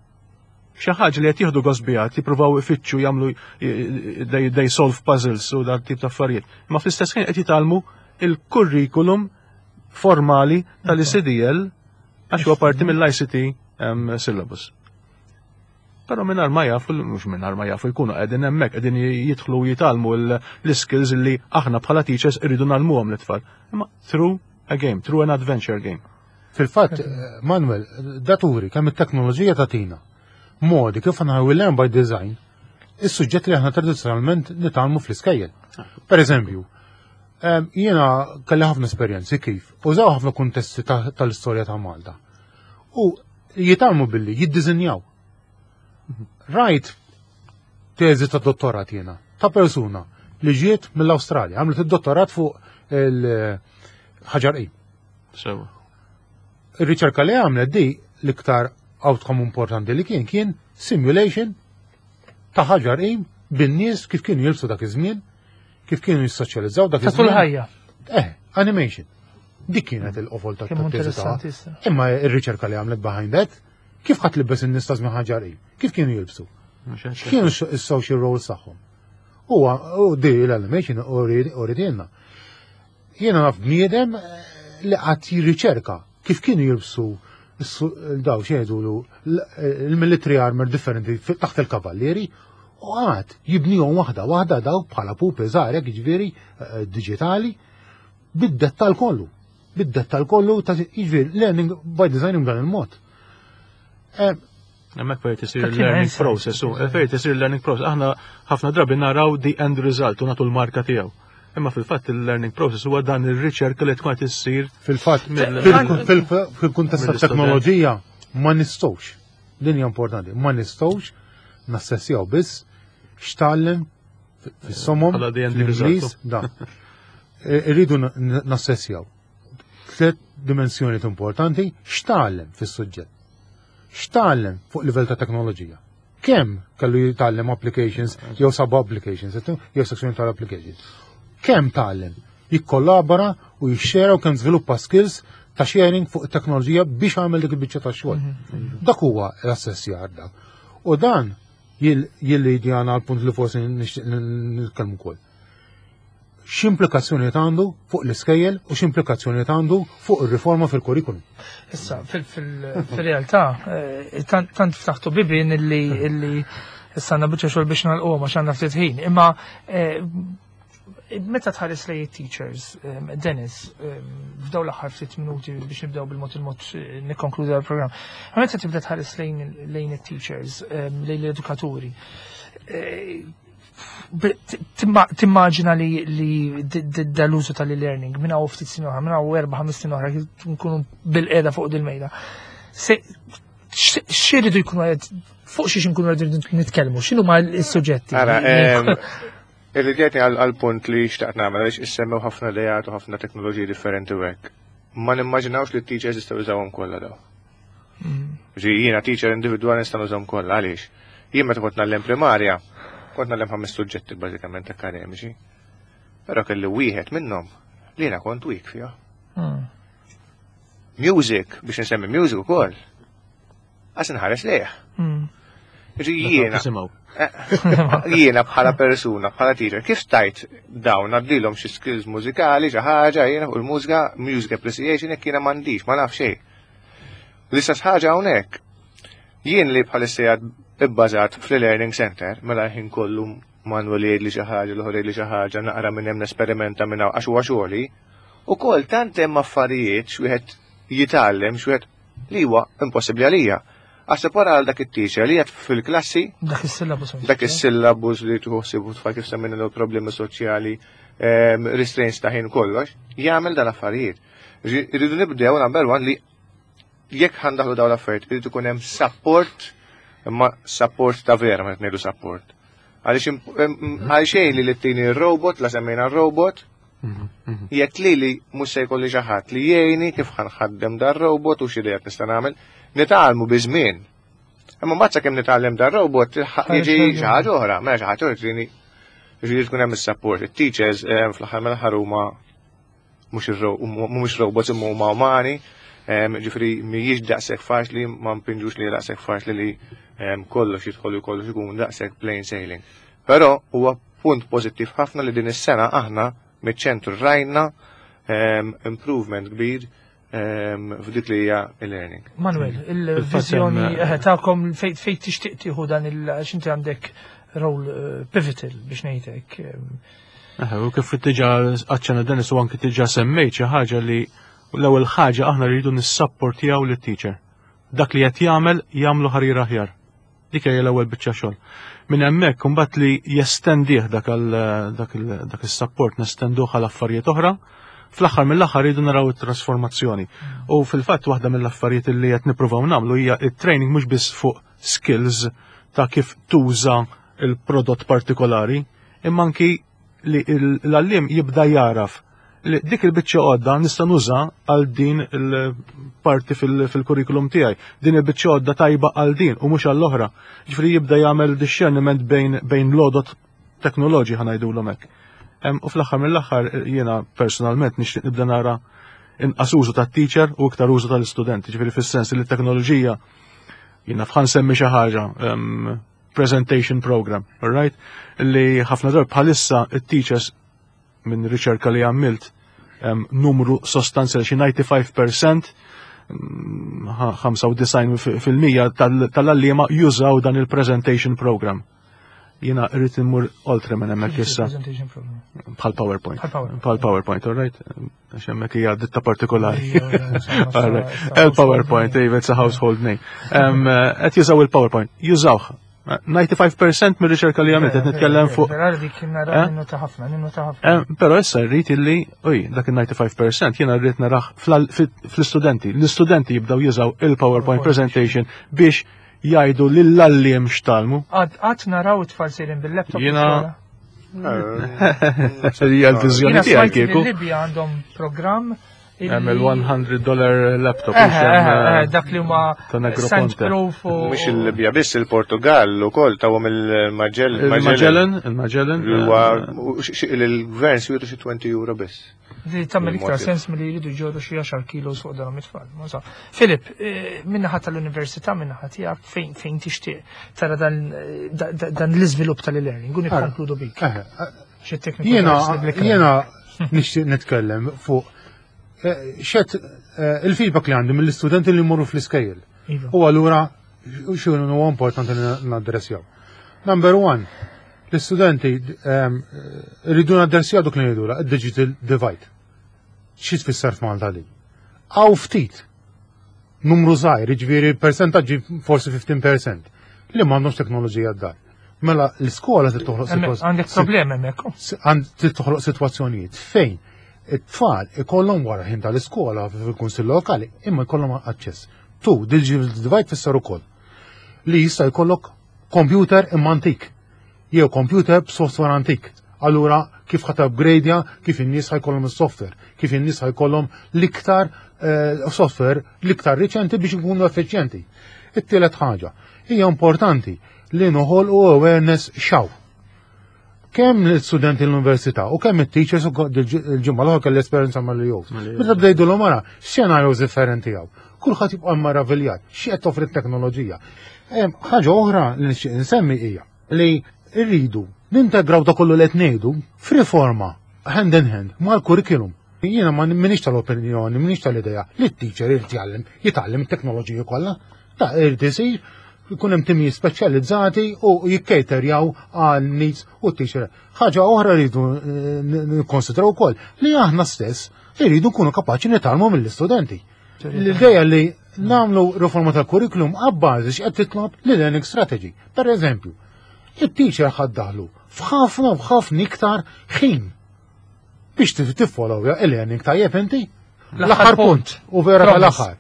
xi ħaġa li qed jieħdu gost biha, jippruvaw ifittxu, jagħmlu, they, they solve puzzles u dan tip ta' affarijiet. Ma fl-istess ħin qed jitgħallmu il-kurrikulum formali tal-I C D L għax huwa parti mill-I C T um, syllabus. Però mingħajr ma jafu, mhux mingħajr ma jafu, jkunu qegħdin hemmhekk qegħdin jidħlu u jitgħallmu l-skills li aħna bħala teachers irridu ngħallmuhom l-tfal. Imma through a game, through an adventure game. Fil-fatt, eh, Manuel, daturi kemm it-teknoloġija tagħtina modi kif aħna we learn by design is-suġġett li aħna tradizzjonalment nitgħallmu fl-iskejjel. Per eżempju, em, jiena kelli ħafna esperjenzi kif użaw ħafna kuntesti ta- tal-istorja ta' Malta. U jitgħallmu billi jiddiżinjaw. Rajt teżi ta' dottorat jiena ta' persuna li ġiet mill-Awstralja, għamlet id-dottorat fuq il-Ħaġar Qim. Sewa. Ir-riċerka li għamlet di l-iktar outcome importanti li kien kien simulation ta' Ħaġar Qim bin-nies kif kienu jilbsu dak iż-żmien, kif kienu jissoċjalizzaw dak Ta' tul iż-żmien. ħajja. Eh, animation. Dik kienet il-qofol ta' Kemm ta' teżi ta' interessantissima. Imma ir-riċerka li għamlet behind that, kif ħadd libbes in-nies ta' żmien Ħaġar Qim? Kif kienu jilbsu? X'kienu s-social roles tagħhom? Huwa u di l-animation uritilna. Jiena naf bniedem eh, li qatt jirriċerka kif kienu jilbsu s- daw xejdu il-military armor differenti fi- taħt il-kavallieri u għad jibnihom waħda waħda daw bħala pupi żgħar jiġifieri eh, digitali bid-dettal kollu. Bid-dettal kollu ta' jiġifieri learning by design dan il-mod. Eh, Hemmhekk fejn tisir Tatina learning insight. process, u fejn tisir learning process. Aħna ħafna drabi naraw the end result u nagħtu l-marka tiegħu. Imma fil-fatt il-learning process huwa dan ir-riċerka li tkun qed issir Fil-fatt, Mill- fil- fil- fil-kuntest ta' Mill-istudent. teknoloġija ma nistgħux. Din hija importanti, ma nistgħux nassessjaw biss x'tgħallem fis-somom Bħala the end fl-Ingliż, result. da. E- Irridu n- n- nassessjaw. Tliet dimensjoni importanti x'tgħallem fis-suġġett. X'tgħallem fuq livell ta' teknoloġija. Kemm kellu jitgħallem applications jew sub applications, jew sezzjoni tal-applications. Kemm tgħallem jikkollabora u jixxera u kemm żviluppa skills ta' sharing fuq it-teknoloġija biex għamel dik il-biċċa ta' xogħol. Dak huwa l-assessjar dak. U dan jillidjana għal punt li forsi nixtieq nitkellmu wkoll. X'implikazzjoni għandu fuq l-iskejjel u x'implikazzjoni għandu fuq ir-riforma fil-kurrikulum. Issa, fil-realtà, eh, tant tant ftaħtu bibin illi illi issa għandna biċċa xogħol biex nagħlquhom għax għandna ftit ħin. Imma eh, meta tħares lejn teachers, eh, Dennis, f'daw l-aħħar ftit minuti biex nibdew bil-mod il-mod nikkonkludi l-programm. Meta tibda tħares lejn lejn it-teachers, lejn l-edukaturi, timmaġina li li dal-użu tal-e-learning minn hawn ftit snin oħra, minn hawn erba' ħames snin oħra nkunu bil-qiegħda fuq dil-mejda. X'iridu jkunu qed fuq xiex nkunu qegħdin nitkellmu, x'inhu ma s-suġġetti? Ara, Irridjetni għal-punt li xtaqt nagħmel għaliex issemmew ħafna idejat u ħafna teknoloġiji differenti u hekk. Ma nimmaġinawx li t-teachers jistgħu jużawhom kollha daw. Ġi jiena teacher individwali nista' nużahom kollha għaliex. Jien meta kont ngħallem primarja, kont ngħallem ħames suġġetti bażikament akademiċi. Però kelli wieħed minnhom li jiena kont weak fiha. Music, biex nsemmi music ukoll. Għas nħares lejh. Ġi jiena. Jiena bħala persuna, bħala teacher, kif stajt dawn għaddilhom xi skills mużikali, xi ħaġa, jiena fuq il-mużika, music appreciation, jekk jiena m'għandix, ma naf xejn. L-istess ħaġa hawnhekk. Jien li bħalissa ibbażat fl-learning center, mela ħin kollu Manuel jgħid li xi ħaġa, l-oħra jgħid li xi ħaġa, naqra minn hemm nesperimenta minn hawn għax huwa xogħli. Ukoll tant hemm affarijiet x'wieħed jitgħallem, x'wieħed li huwa impossibbli għalija. Għax wara għal dak it-teacher li qed fil-klassi Dak is-syllabus. dak is-syllabus li tħossib tfal kif semmejna l problemi soċjali, ehm, restraints ta' ħin kollox, jagħmel dan affarijiet. Irridu nibdew number one li jekk ħa ndaħħlu dawn l-affarijiet, irridu ikun hemm support, imma support ta' vera, ma ngħidu support. Għaliex għal xejn li li r-robot, la semmejna r-robot, jekk li li mhux se jkolli xi ħadd li jgħinni kif ħa nħaddem dar robot u x'idejat nista' nagħmel, nitgħallmu bi żmien. Imma mbagħad sakemm nitgħallem dar robot jiġi xi ħaġa oħra, mela xi ħaġa oħra trini ġifieri tkun hemm is-support. It-teachers fl-aħħar mill-aħħar huma mhux mhumiex robots imma huma umani, ġifieri mhijiex daqshekk faċli, ma npinġux li daqshekk faċli li kollox jidħol u kollox ikun daqshekk plain sailing. Però huwa punt pożittiv ħafna li din is-sena aħna miċ-ċentru rajna improvement kbir f'dik li hija e-learning. Manuel, il-viżjoni eh, tagħkom fejn fejn tixtieq tieħu dan il għax inti għandek role eh, pivotal biex ngħidlek. U kif diġà aċċenna Dennis u anki diġà semmejt xi ħaġa li U l-ewwel ħaġa, aħna rridu nissapportjaw lit-teacher. Dak li qed jagħmel jagħmlu ħarir aħjar. Dik hija l-ewwel biċċa xogħol. Minn hemmhekk imbagħad li jestendih dak dak dak is-support, nestenduh għal affarijiet oħra. Fl-aħħar mill-aħħar rridu naraw it-trasformazzjoni. U fil-fatt waħda mill-affarijiet li qed nippruvaw nagħmlu hija it-training mhux biss fuq skills ta' kif tuża il-prodott partikolari, imma anki li l-għalliem jibda jaraf li dik il-biċċa għodda nista' nuża għal din il-parti fil-kurrikulum tiegħi. Din il-biċċa għodda tajba għal din u mhux għall-oħra. Ġifieri jibda jagħmel discerniment bejn bejn l-għodot teknoloġi, ħa ngħidulhom hekk. U fl-aħħar mill-aħħar jiena personalment nixtieq nibda nara inqas użu tat-teacher u iktar użu tal-istudenti, ġifieri fis-sens li t-teknoloġija, jiena ħa nsemmi xi ħaġa, presentation program, all right? Li ħafna darb bħalissa it-teachers, minn riċerka li għamilt, numru sostanzjali, xi disgħa u disgħin fil-mija, ħamsa u disgħin fil-mija tal-għalliema jużaw dan il-presentation program. Jiena rrid immur oltre minn hemmhekk issa. Bħal PowerPoint. Bħal PowerPoint, all right? Għax hemmhekk hija ditta partikolari. Il-PowerPoint, it's a household name. Qed jużaw il-PowerPoint. Jużawh disgħa u disgħin fil-mija mir-riċerka li għamilt, qed nitkellem fuq. Però issa rrid illi, uj, dak il-disgħa u disgħin fil-mija jiena rrid narah fl-istudenti. L-istudenti jibdaw jużaw il-PowerPoint presentation biex jgħidu lill-għalliem x'tgħallmu. Għad naraw it-tfal sejrin bil-laptop. Jiena hija l-viżjoni tiegħi kieku. Libja għandhom programm. Hemm il-one hundred dollar laptop. Dak li huma Negroponte. Mhux il-Libja biss, il-Portugal ukoll tawhom il-Magellan. Il-Magellan, il-Magellan. Il-gvern swietu xi għoxrin euro biss. Di tagħmel iktar sens milli jridu jġorru xi għaxar kilos fuq dawn it-tfal. Filip, eh, min-naħa tal-università, min-naħa tiegħek, fejn fejn tixtieq tara dan dan l-iżvilupp tal-e-learning, u nikkonkludu bik. Jiena jiena nixtieq nitkellem fuq eh, xet eh, il-feedback li għandi mill-istudenti li jmorru fl-iskejjel. Iva. U allura xinu huwa importanti li naddressjaw. Number one, l-istudenti ehm, rridu naddressjaw dak li ngħidu digital divide. Xi tfisser f'Malta li? Hawn ftit numru żgħir, jiġifieri percentaġġi forsi ħmistax fil-mija li m'għandhomx teknoloġija d-dar. Mela l-iskola trid toħloq Hemmhekk għandek problemi hemmhekk. Għand trid toħloq sitwazzjonijiet fejn it-tfal ikollhom wara ħin tal-iskola fil-kunsill lokali imma jkollhom aċċess. Tu, digital divide tfisser ukoll li jista' jkollok computer imma antik jew computer b'software antik. Allura kif ħa upgradeja, kif in-nies ħa jkollhom is-software, kif in-nies ħa jkollhom l-iktar eh, software l-iktar riċenti biex ikunu effiċjenti. It-tielet ħaġa, hija importanti li noħolqu awareness xaw. Kemm l-studenti l-università u kemm it-teachers, u il-ġimgħa l-oħra kelli esperjenza mal-E O. Meta bdejdu l mara xenarjos differenti hawn. Kulħadd jibqa' maraviljat xi qed toffri t-teknoloġija. Em, Ħaġa oħra li nixtieq insemmi hija li rridu nintegraw da kollu li qed ngħidu f'riforma hand in hand mal-curriculum. Jiena ma minix tal-opinjoni, minix tal-idea li t-teacher irid jgħallem, jitgħallem it-teknoloġija kollha. Ta' irid isir jkun hemm timijiet speċjalizzati u jikkejterjaw għal needs u t-teacher. Ħaġa oħra rridu eh, nikkonsidraw ukoll li aħna stess irridu nkunu kapaċi nitgħallmu mill-istudenti. L-ideja li nagħmlu riforma tal-kurrikulum għabbażi x'qed titlob l-learning strategy. Per eżempju, it-teacher ħa ddaħħlu f'ħafna u f'ħafna iktar ħin biex tiffollowja il-learning tajjeb inti. L-aħħar punt, u vera Promise. tal-aħħar.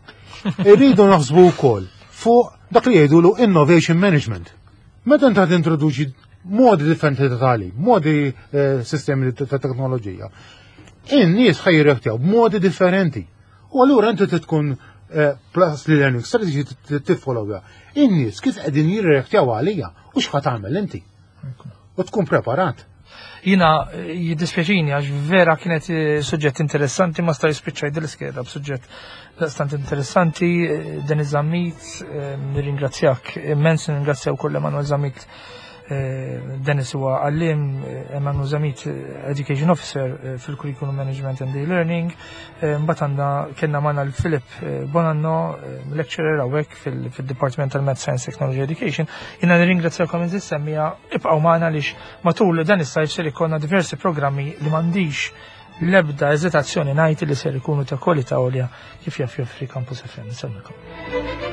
Irridu naħsbu wkoll fuq dak li jgħidulu innovation management. Meta inta tintroduċi modi differenti ta' tagħlim, modi eh, sistemi ta' teknoloġija, in-nies ħa jirreaktjaw b'modi differenti. U allura inti trid tkun eh, plus li learning strategy tiffollowja. In-nies kif qegħdin jirreaktjaw għalija u x'ħa tagħmel inti. U tkun preparat. Jiena eh, jiddispjaċini għax vera kienet eh, suġġett interessanti, ma staj spiċċaj dil-iskeda b'suġġett daqstant interessanti. eh, Denis Zammit, eh, nirringrazzjak immens, nirringrazzjaw kull Emanuel Zammit. eh, Dennis huwa għallim, eh, Emanuel Zammit eh, Education Officer eh, fil-Curriculum Management and E-Learning. Eh, Mbagħad għandna kellna magħna l-Philip eh, Bonanno, eh, lecturer hawnhekk fil- fil-Department tal-Math Science Technology Education. Jiena nirringrazzjakom insemmija, ibqgħu magħna għaliex matul dan is-sajf ser ikollna diversi programmi li m'għandix L-ebda eżitazzjoni ngħid li ser ikunu ta' kwalità għolja kif jaf joffri Campus F M. Nsellmilkom.